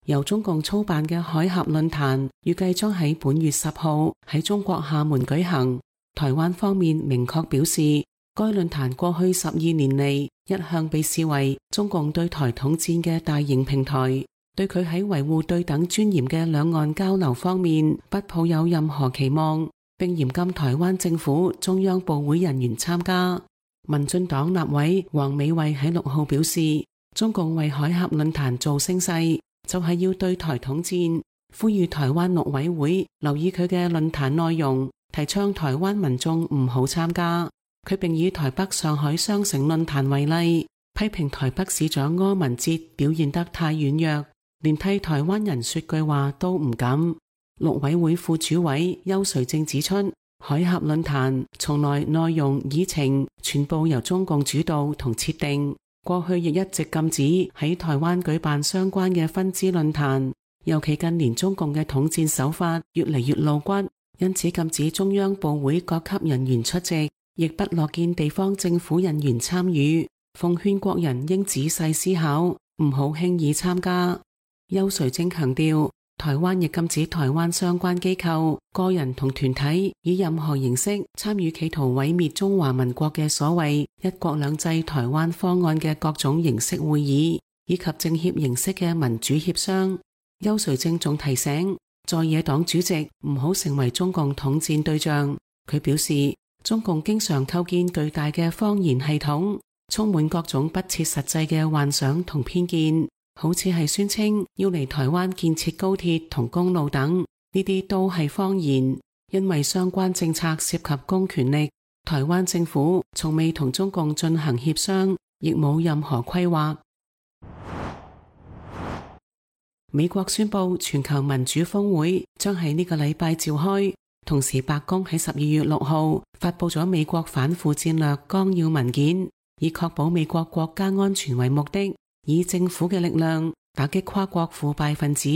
由中共操辦嘅海峽論壇預計將喺本月10號喺中國廈門舉行。台灣方面明確表示，該論壇過去12年嚟一向被視為中共對台統戰嘅大型平台，對佢喺維護對等尊嚴嘅兩岸交流方面不抱有任何期望，並嚴禁台灣政府中央部會人員參加。民進黨立委黃美惠喺6號表示，中共為海峽論壇做聲勢，就係要對台統戰，呼籲台灣陸委會留意佢嘅論壇內容，提倡台灣民眾唔好參加。佢並以台北上海雙城論壇為例，批評台北市長柯文哲表現得太軟弱，連替台灣人說句話都唔敢。陸委會副主委邱垂正指出，海峽論壇從來內容議程全部由中共主導同設定，過去亦一直禁止喺台灣舉辦相關嘅分支論壇，尤其近年中共嘅統戰手法越嚟越露骨，因此禁止中央部會各級人員出席，亦不樂見地方政府人員參與，奉勸國人應仔細思考，唔好輕易參加。邱垂正強調，台灣亦禁止台灣相關機構、個人同團體以任何形式參與企圖毀滅中華民國嘅所謂一國兩制台灣方案嘅各種形式會議，以及政協形式嘅民主協商。邱垂正仲提醒在野黨主席唔好成為中共統戰對象。佢表示，中共經常構建巨大嘅謊言系統，充滿各種不切實際嘅幻想同偏見，好似係宣稱要嚟台灣建設高鐵同公路等，呢啲都係謊言。因為相關政策涉及公權力，台灣政府從未同中共進行協商，亦冇任何規劃。美國宣布全球民主峰會將喺呢個禮拜召開，同時白宮喺12月6號發佈咗美國反腐戰略綱要文件，以確保美國國家安全為目的，以政府嘅力量打擊跨國腐敗分子。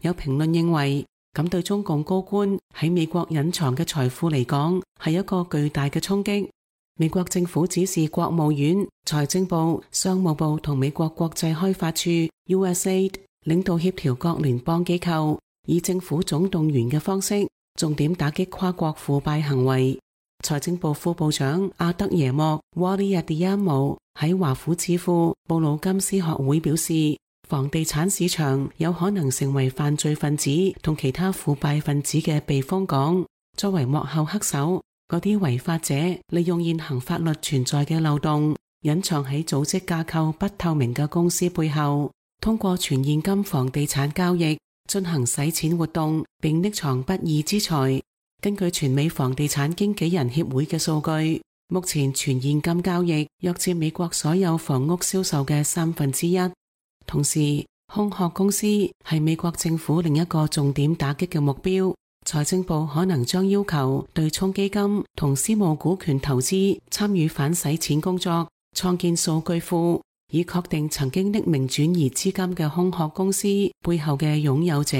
有評論認為，咁對中共高官喺美國隱藏嘅財富嚟講，係一個巨大嘅衝擊。美國政府指示國務院、財政部、商務部同美國國際開發處 USAID 領導協調各聯邦機構，以政府總動員嘅方式，重點打擊跨國腐敗行為。財政部副部長阿德耶莫 Wally Adiyamo 喺華府智庫布魯金斯學會表示，房地產市場有可能成為犯罪分子同其他腐敗分子嘅避風港。作為幕後黑手，嗰啲違法者利用現行法律存在嘅漏洞，隱藏喺組織架構不透明嘅公司背後，通過全現金房地產交易進行洗錢活動，並匿藏不義之財。根據全美房地產經紀人協會嘅數據，目前全現金交易約佔美國所有房屋銷售嘅1/3。同時，空殼公司係美國政府另一個重點打擊嘅目標。財政部可能將要求對沖基金同私募股權投資參與反洗錢工作，創建數據庫，以確定曾經匿名轉移資金嘅空殼公司背後嘅擁有者。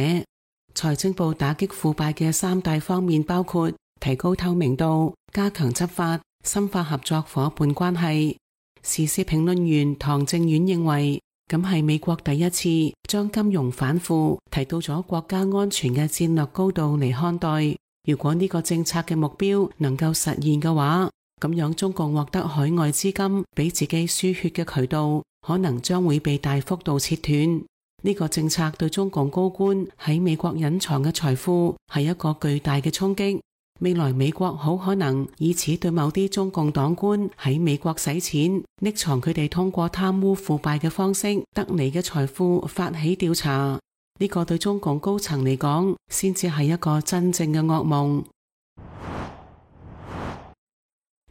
財政部打擊腐敗嘅3大方面包括提高透明度、加強執法、深化合作夥伴關係。時事評論員唐正遠認為，咁係美國第一次將金融反腐提到咗國家安全嘅戰略高度嚟看待。如果呢個政策嘅目標能夠實現嘅話，咁樣中共獲得海外資金俾自己輸血嘅渠道，可能將會被大幅度切斷。呢個政策對中共高官喺美國隱藏嘅財富係一個巨大嘅衝擊。未來美國好可能以此對某啲中共黨官喺美國洗錢、匿藏佢哋通過貪污腐敗嘅方式得嚟嘅財富發起調查。呢個對中共高層嚟講，先至係一個真正嘅噩夢。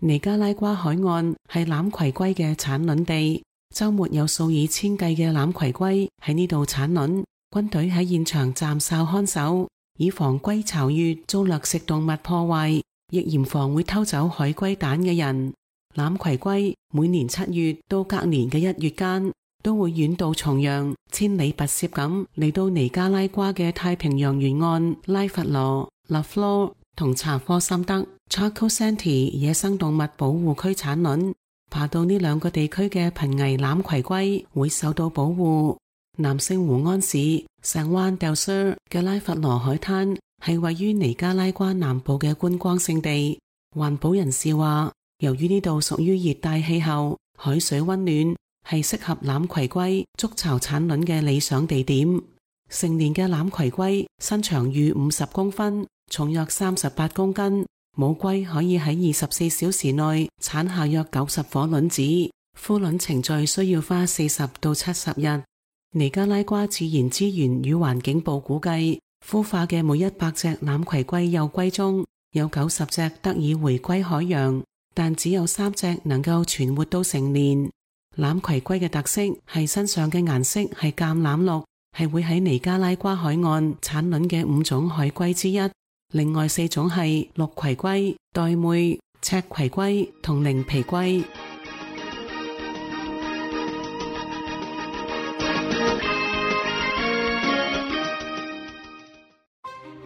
尼加拉瓜海岸係欖葵龜嘅產卵地，周末有數以千計嘅欖葵龜喺呢度產卵，軍隊喺現場站哨看守，以防龜巢穴遭掠食動物破壞，亦嚴防會偷走海龜蛋嘅人。欖葵龜每年7月到隔年嘅1月間，都會遠渡重洋，千里跋涉咁嚟到尼加拉瓜嘅太平洋沿岸拉佛羅、拉弗羅同查科森德 Chaco Santee 野生動物保護區產卵。爬到呢2個地區嘅瀕危欖葵龜會受到保護。南聖胡安市San Juan del Sur 嘅拉佛羅海灘係位於尼加拉瓜南部嘅觀光勝地。環保人士話，由於呢度屬於熱帶氣候，海水溫暖，係適合欖葵龜築巢產卵嘅理想地點。成年嘅欖葵龜身長逾50公分，重約38公斤。母龜可以喺24小時內產下約90顆卵子，孵卵程序需要花40到70日。尼加拉瓜自然資源與環境部估計，孵化嘅每100隻欖葵龜幼龜中有90隻得以回歸海洋，但只有3隻能夠存活到成年。欖葵龜嘅特色係身上嘅顏色係橄欖綠，係會喺尼加拉瓜海岸產卵嘅5種海龜之一。另外4種係綠葵龜、玳瑁、赤葵龜同靈皮龜。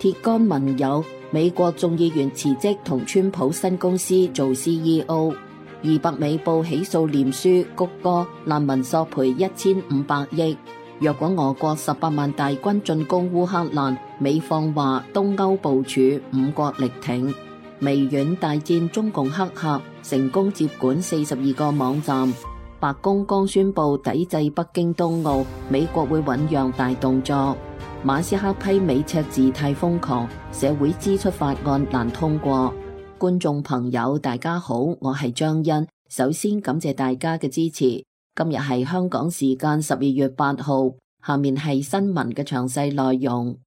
鐵桿盟友，美國眾議員辭職同川普新公司做 CEO。200美報起訴臉書、谷歌難民索賠1500億。若果俄國18萬大軍進攻烏克蘭，美方話東歐部署5國力挺。微軟大戰中共黑客，成功接管42個網站。白宮剛宣布抵制北京冬奧，美國會醞釀大動作。馬斯克批美赤字太瘋狂，社會支出法案難通過。觀眾朋友大家好，我係張欣，首先感謝大家嘅支持。今日係香港時間12月8號，下面係新聞嘅詳細內容。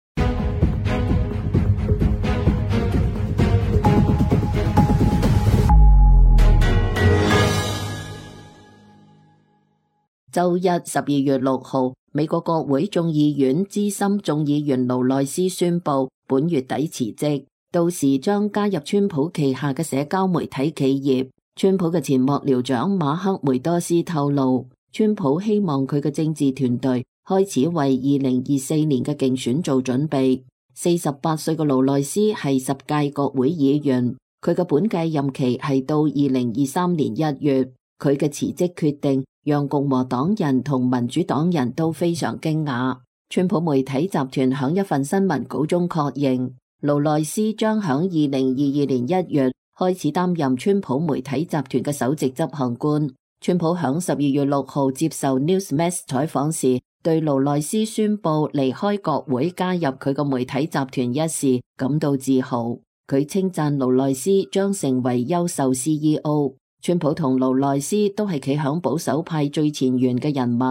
周一12月6號，美國國會眾議院資深眾議員勞內斯宣布本月底辭職，到時將加入川普旗下嘅社交媒體企業。川普嘅前幕僚長馬克梅多斯透露，川普希望佢嘅政治團隊開始為2024年嘅競選做準備。48歲嘅勞內斯係10屆國會議員，佢嘅本屆任期係到2023年1月。佢嘅辭職決定讓共和黨人同民主黨人都非常驚訝。川普媒體集團響一份新聞稿中確認，勞內斯將響2022年1月開始擔任川普媒體集團嘅首席執行官。川普響12月6號接受 Newsmax 採訪時，對勞內斯宣布離開國會加入佢個媒體集團一事感到自豪。佢稱讚勞內斯將成為優秀 CEO。川普同勞內斯都係企響保守派最前沿嘅人物，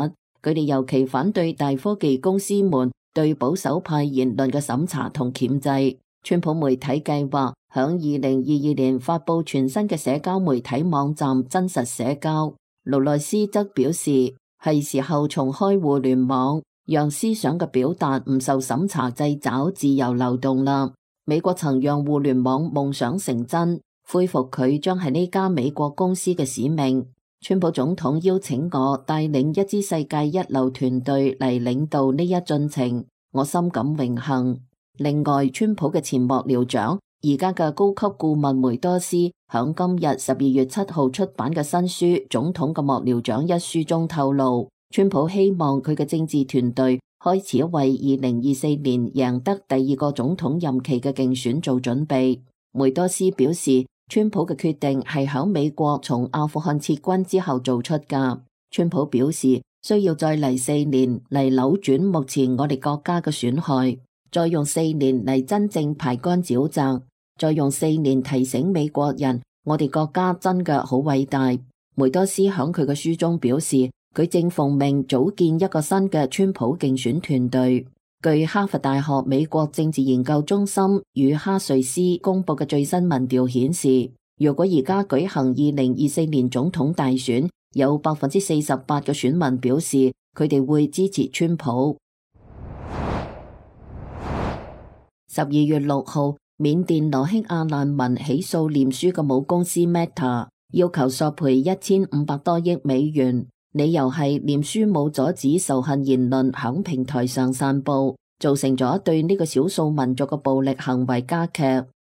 佢哋尤其反對大科技公司們對保守派言論嘅審查同鉗制。川普媒體計劃響2022年發佈全新嘅社交媒體網站真實社交。勞內斯則表示，係時候重開互聯網，讓思想嘅表達唔受審查掣肘，自由流動啦。美國曾讓互聯網夢想成真，恢復佢將係呢家美國公司嘅使命。川普總統邀請我帶領一支世界一流團隊嚟領導呢一進程，我深感榮幸。另外，川普嘅前幕僚長，而家嘅高級顧問梅多斯響今日12月7號出版嘅新書《總統嘅幕僚長》一書中透露，川普希望佢嘅政治團隊開始為2024年贏得第二個總統任期嘅競選做準備。梅多斯表示，川普嘅決定係響美國從阿富汗撤軍之後做出㗎。川普表示，需要再嚟4年嚟扭轉目前我哋國家嘅損害，再用4年嚟真正排乾沼澤，再用4年提醒美國人，我哋國家真嘅好偉大。梅多斯響佢嘅書中表示，佢正奉命組建一個新嘅川普競選團隊。據哈佛大學美國政治研究中心與哈瑞斯公佈嘅最新民調顯示，如果而家舉行2024年總統大選，有48%嘅選民表示佢哋會支持川普。12月6號，緬甸羅興亞難民起訴臉書嘅母公司 Meta， 要求索賠1500多億美元。理由係臉書冇阻止仇恨言論響平台上散布，造成咗對呢個少數民族嘅暴力行為加劇。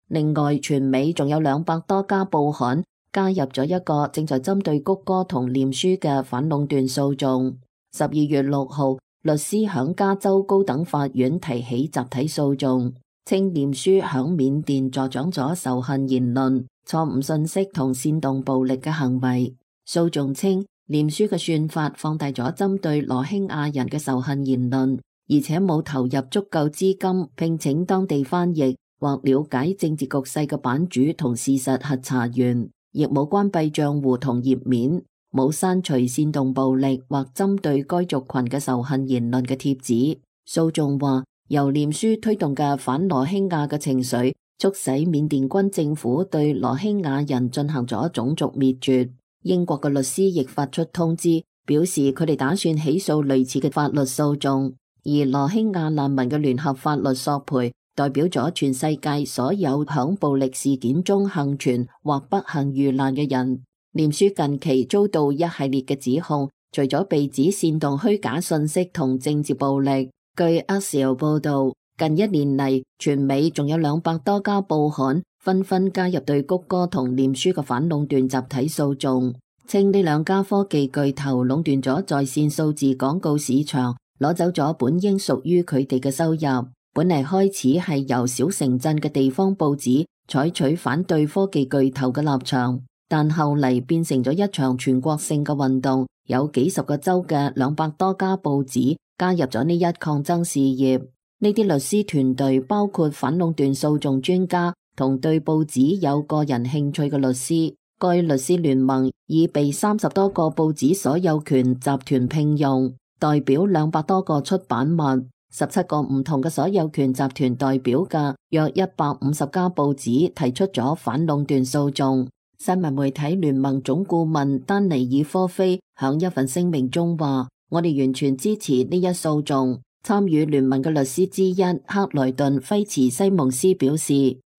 另外，全美仲有200多家報刊加入咗一個正在針對谷歌同臉書嘅反壟斷訴訟。12月6號，律師響加州高等法院提起集體訴訟，稱臉書響緬甸助長咗仇恨言論、錯誤信息同煽動暴力嘅行為。訴訟稱，臉書嘅算法放大咗針對羅興亞人嘅仇恨言論，而且冇投入足夠資金聘請當地翻譯或了解政治局勢嘅版主同事實核查員，亦冇關閉賬戶同頁面，冇刪除煽動暴力或針對該族群嘅仇恨言論嘅貼紙。訴訟話，由臉書推動嘅反羅興亞嘅情緒，促使緬甸軍政府對羅興亞人進行咗種族滅絕。英國嘅律師亦發出通知，表示佢哋打算起訴類似嘅法律訴訟。而羅興亞難民嘅聯合法律索賠，代表咗全世界所有響暴力事件中幸存或不幸遇難嘅人。臉書近期遭到一系列嘅指控，除咗被指煽動虛假信息同政治暴力。據 Axios 報道，近1年嚟，全美仲有200多家報刊紛紛加入對谷歌同臉書嘅反壟斷集體訴訟，稱呢兩家科技巨頭壟斷咗在線數字廣告市場，攞走咗本應屬於佢哋嘅收入。本嚟開始係由小城鎮嘅地方報紙採取反對科技巨頭嘅立場，但後嚟變成咗一場全國性嘅運動，有幾十個州嘅200多家報紙加入咗呢一抗爭事業。呢啲律師團隊包括反壟斷訴訟專家同對報紙有個人興趣嘅律師。該律師聯盟已被30多個報紙所有權集團聘用，代表200多個出版物，17個唔同嘅所有權集團代表嘅約150家報紙提出咗反壟斷訴訟。新聞媒體聯盟總顧問丹尼爾科菲響一份聲明中話：我哋完全支持呢一訴訟。參與聯盟嘅律師之一克萊頓菲茨西蒙斯表示，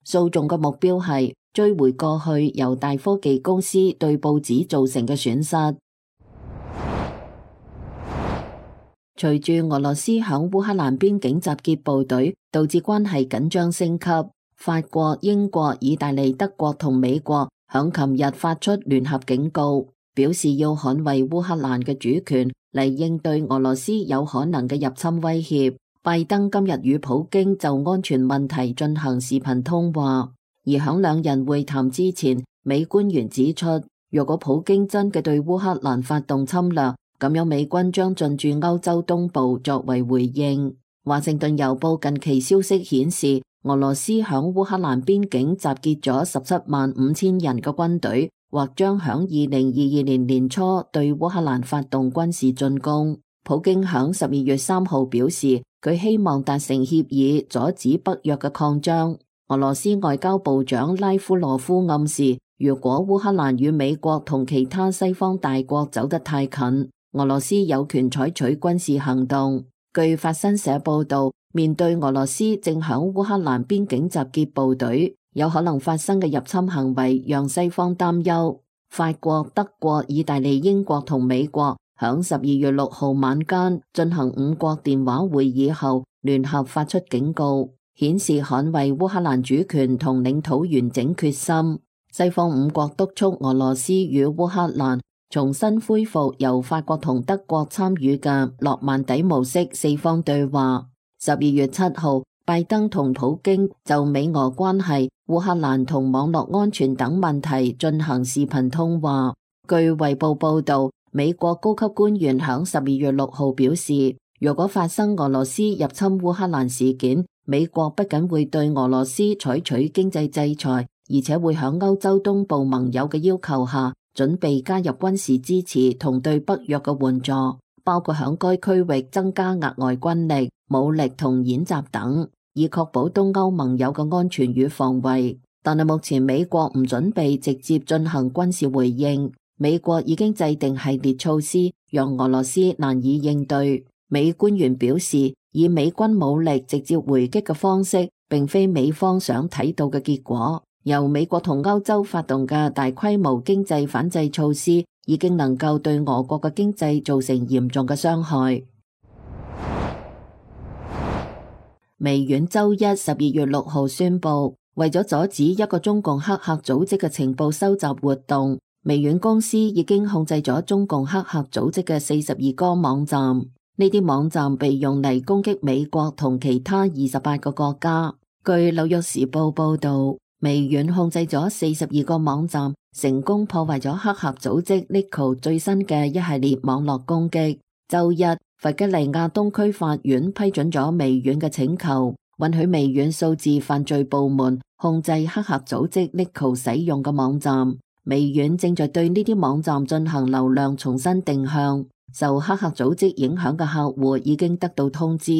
訴訟嘅目標係追回過去由大科技公司對報紙造成嘅損失。隨住俄羅斯響烏克蘭邊境集結部隊，導致關係緊張升級。法國、英國、意大利、德國同美國響琴日發出聯合警告，表示要捍衛烏克蘭嘅主權，嚟應對俄羅斯有可能嘅入侵威脅。拜登今日與普京就安全問題進行視頻通話，而響兩人會談之前，美官員指出，若果普京真嘅對烏克蘭發動侵略，咁樣美軍將進駐歐洲東部作為回應。華盛頓郵報近期消息顯示，俄羅斯響烏克蘭邊境集結咗175000人嘅軍隊，或將響2022年年初對烏克蘭發動軍事進攻。普京響12月3號表示，佢希望達成協議，阻止北約嘅擴張。俄羅斯外交部長拉夫羅夫暗示，如果烏克蘭與美國同其他西方大國走得太近，俄羅斯有權採取軍事行動。據法新社報道，面對俄羅斯正響烏克蘭邊境集結部隊，有可能發生嘅入侵行為讓西方擔憂。法國、德國、意大利、英國同美國響12月6號晚間進行5國電話會議後，聯合發出警告，顯示捍衛烏克蘭主權同領土完整決心。西方5國督促俄羅斯與烏克蘭重新恢復由法國同德國參與嘅諾曼底模式4方對話。12月7號，拜登同普京就美俄關係、烏克蘭同網絡安全等問題進行視頻通話。據衛報報道，美國高級官員響12月6號表示，若果發生俄羅斯入侵烏克蘭事件，美國不僅會對俄羅斯採取經濟制裁，而且會響歐洲東部盟友嘅要求下，準備加入軍事支持同對北約嘅援助，包括響該區域增加額外軍力、武力同演習等，以確保東歐盟友嘅安全與防衛。但係目前美國唔準備直接進行軍事回應，美國已經制定系列措施，讓俄羅斯難以應對。美官員表示，以美軍武力直接回擊嘅方式，並非美方想睇到嘅結果。由美國同歐洲發動嘅大規模經濟反制措施，已經能夠對俄國嘅經濟造成嚴重嘅傷害。微軟周一12月6號宣布，為咗阻止一個中共黑客組織嘅情報收集活動，微軟公司已經控制咗中共黑客組織嘅42個網站。呢啲網站被用嚟攻擊美國同其他28個國家。據紐約時報報道，微軟控制咗42個網站，成功破壞咗黑客組織 Lico 最新嘅一系列網絡攻擊。周一，弗吉尼亞東區法院批准咗微軟嘅請求，允許微軟數字犯罪部門控制黑客組織 Lico 使用嘅網站。微軟正在對呢啲網站進行流量重新定向。受黑客組織影響嘅客戶已經得到通知。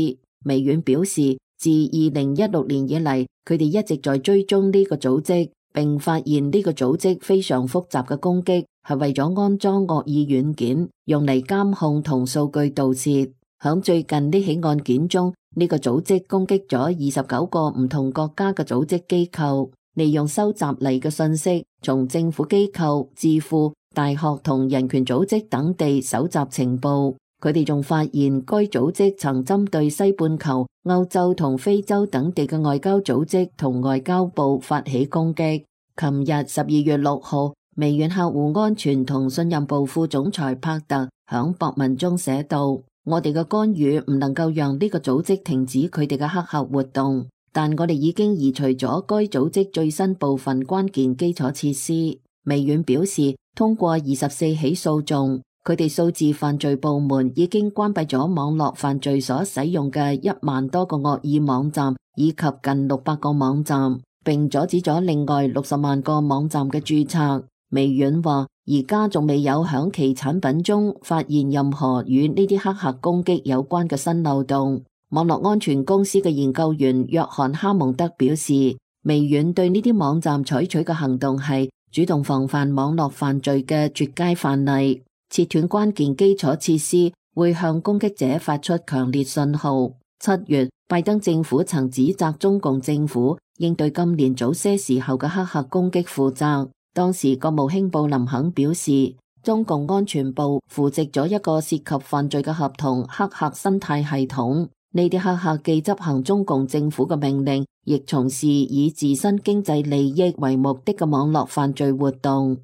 微軟表示，自2016年以嚟，佢哋一直在追蹤呢個組織，並發現呢個組織非常複雜嘅攻擊係為咗安裝惡意軟件，用嚟監控同數據盜竊。響最近呢起案件中，呢個組織攻擊咗29個唔同國家嘅組織機構，利用收集嚟嘅信息，從政府機構、智庫、大學同人權組織等地搜集情報。佢哋仲發現該組織曾針對西半球、歐洲同非洲等地嘅外交組織同外交部發起攻擊。琴日12月6號，微軟客戶安全同信任部副總裁帕特響博文中寫道：我哋嘅干預唔能夠讓呢個組織停止佢哋嘅黑客活動，但我哋已經移除咗該組織最新部分關鍵基礎設施。微軟表示，通過24起訴訟，佢哋數字犯罪部門已經關閉咗網絡犯罪所使用嘅1萬多個惡意網站，以及近600個網站，並阻止咗另外60萬個網站嘅註冊。微軟話，而家仲未有響其產品中發現任何與呢啲黑客攻擊有關嘅新漏洞。網絡安全公司嘅研究員約翰哈蒙德表示，微軟對呢啲網站採取嘅行動係主動防範網絡犯罪嘅絕佳範例。切斷關鍵基礎設施會向攻擊者發出強烈信號。7月，拜登政府曾指責中共政府應對今年早些時候嘅黑客攻擊負責。當時國務卿布林肯表示，中共安全部扶植咗一個涉及犯罪嘅合同黑客生態系統。呢啲黑客既執行中共政府嘅命令，亦從事以自身經濟利益為目的嘅網絡犯罪活動。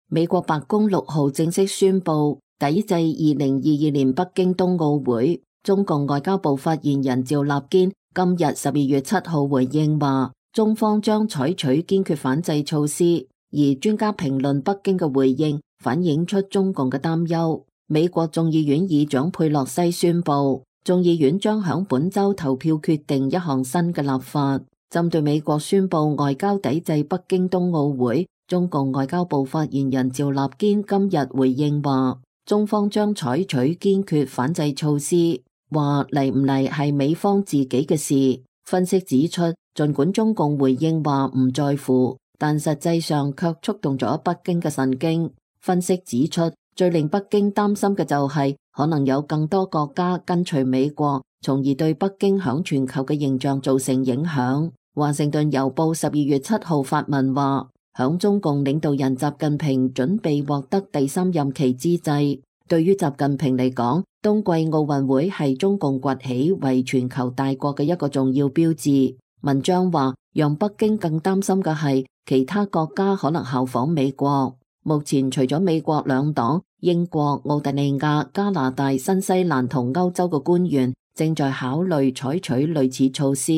美國白宮6號正式宣布抵制2022年北京冬奧會。中共外交部發言人趙立堅今日12月7號回應話，中方將採取堅決反制措施。而專家評論北京嘅回應，反映出中共嘅擔憂。美國眾議院議長佩洛西宣布，眾議院將響本周投票決定一項新嘅立法，針對美國宣布外交抵制北京冬奧會。中共外交部發言人趙立堅今日回應話，中方將採取堅決反制措施，話嚟唔嚟係美方自己嘅事。分析指出，儘管中共回應話唔在乎，但實際上卻觸動咗北京嘅神經。分析指出，最令北京擔心嘅就係可能有更多國家跟隨美國，從而對北京響全球嘅形象造成影響。華盛頓郵報12月7號發文話，響中共領導人習近平準備獲得第3任期之際，對於習近平嚟講，冬季奧運會係中共崛起為全球大國嘅一個重要標誌。文章話，讓北京更擔心嘅係其他國家可能效仿美國。目前除咗美國兩黨，英國、澳大利亞、加拿大、新西蘭同歐洲嘅官員正在考慮採取類似措施。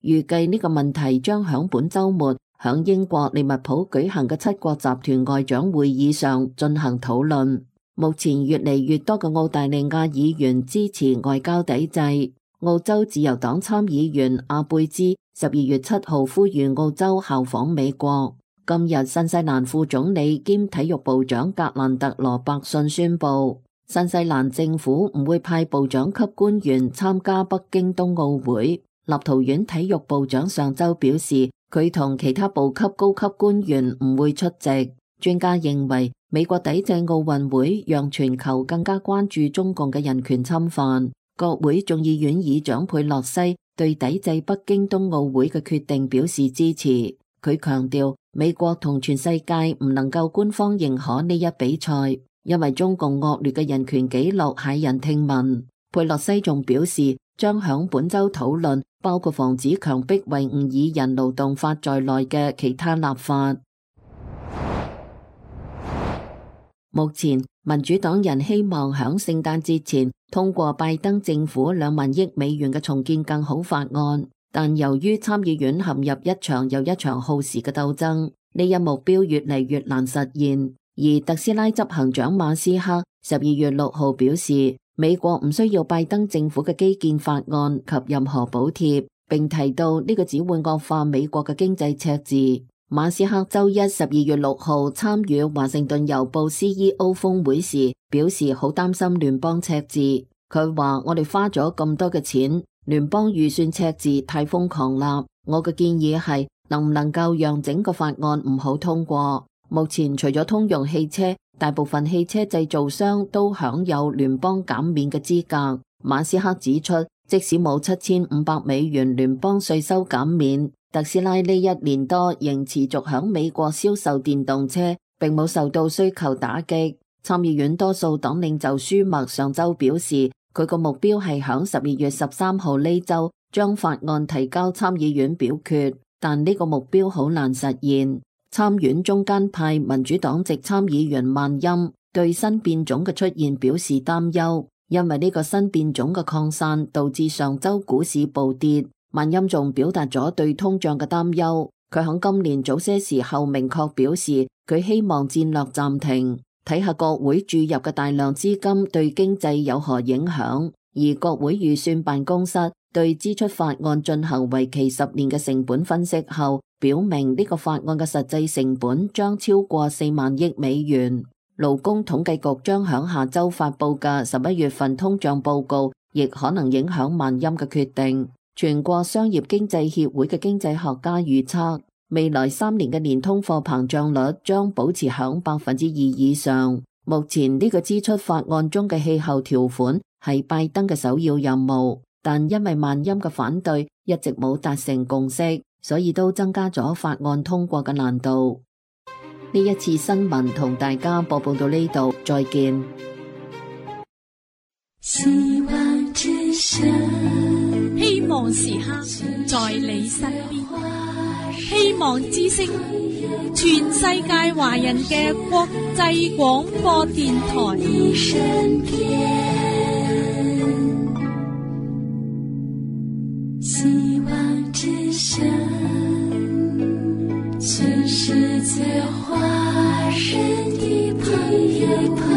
預計呢個問題將響本週末響英國利物浦舉行嘅7國集團外長會議上進行討論。目前越嚟越多嘅澳大利亞議員支持外交抵制。澳洲自由黨參議員阿貝茲12月7號呼籲澳洲效仿美國。今日新西蘭副總理兼體育部長格蘭特羅伯遜宣布，新西蘭政府唔會派部長級官員參加北京冬奧會。立陶宛體育部長上周表示，佢同其他部級高級官員唔會出席。專家認為，美國抵制奧運會讓全球更加關注中共嘅人權侵犯。國會眾議院議長佩洛西對抵制北京冬奧會嘅決定表示支持。佢強調，美國同全世界唔能夠官方認可呢一比賽，因為中共惡劣嘅人權紀錄駭人聽聞。佩洛西仲表示，將響本周討論包括防止強迫維吾爾人勞動法在內嘅其他立法。目前民主黨人希望響聖誕節前通過拜登政府2萬億美元嘅重建更好法案，但由於參議院陷入一場又一場耗時嘅鬥爭，呢一目標越嚟越難實現。而特斯拉執行長馬斯克12月6號表示，美國唔需要拜登政府嘅基建法案及任何補貼，並提到呢個只會惡化美國嘅經濟赤字。馬斯克周一12月6號參與華盛頓郵報 CEO 峰會時表示，好擔心聯邦赤字。佢話，我哋花咗咁多嘅錢，聯邦預算赤字太瘋狂啦。我嘅建議係能唔能夠讓整個法案唔好通過。目前除咗通用汽車，大部分汽車製造商都享有聯邦減免嘅資格。馬斯克指出，即使冇7500美元聯邦稅收減免，特斯拉呢1年多仍持續響美國銷售電動車，並冇受到需求打擊。參議院多數黨領袖舒默上周表示，佢個目標係響12月13號呢周將法案提交參議院表決，但呢個目標好難實現。參院中間派民主黨籍參議員萬欽對新變種嘅出現表示擔憂，因為呢個新變種嘅擴散導致上周股市暴跌。萬欽仲表達咗對通脹嘅擔憂，佢喺今年早些時候明確表示，佢希望戰略暫停，睇下國會注入嘅大量資金對經濟有何影響。而國會預算辦公室對支出法案進行為期10年嘅成本分析後，表明呢個法案嘅實際成本將超過4萬億美元。勞工統計局將響下周發佈嘅11月份通脹報告，亦可能影響萬欽嘅決定。全國商業經濟協會嘅經濟學家預測，未來3年嘅年通貨膨脹率將保持響2%以上。目前呢個支出法案中嘅氣候條款係拜登嘅首要任務，但因為萬欽嘅反對，一直冇達成共識，所以都增加咗法案通過嘅難度。呢一次新聞同大家播報到呢度，再見。希望之聲，希望時刻在你身邊。希望之聲，全世界華人嘅國際廣播電台。希望之聲。栀子花，人的朋友。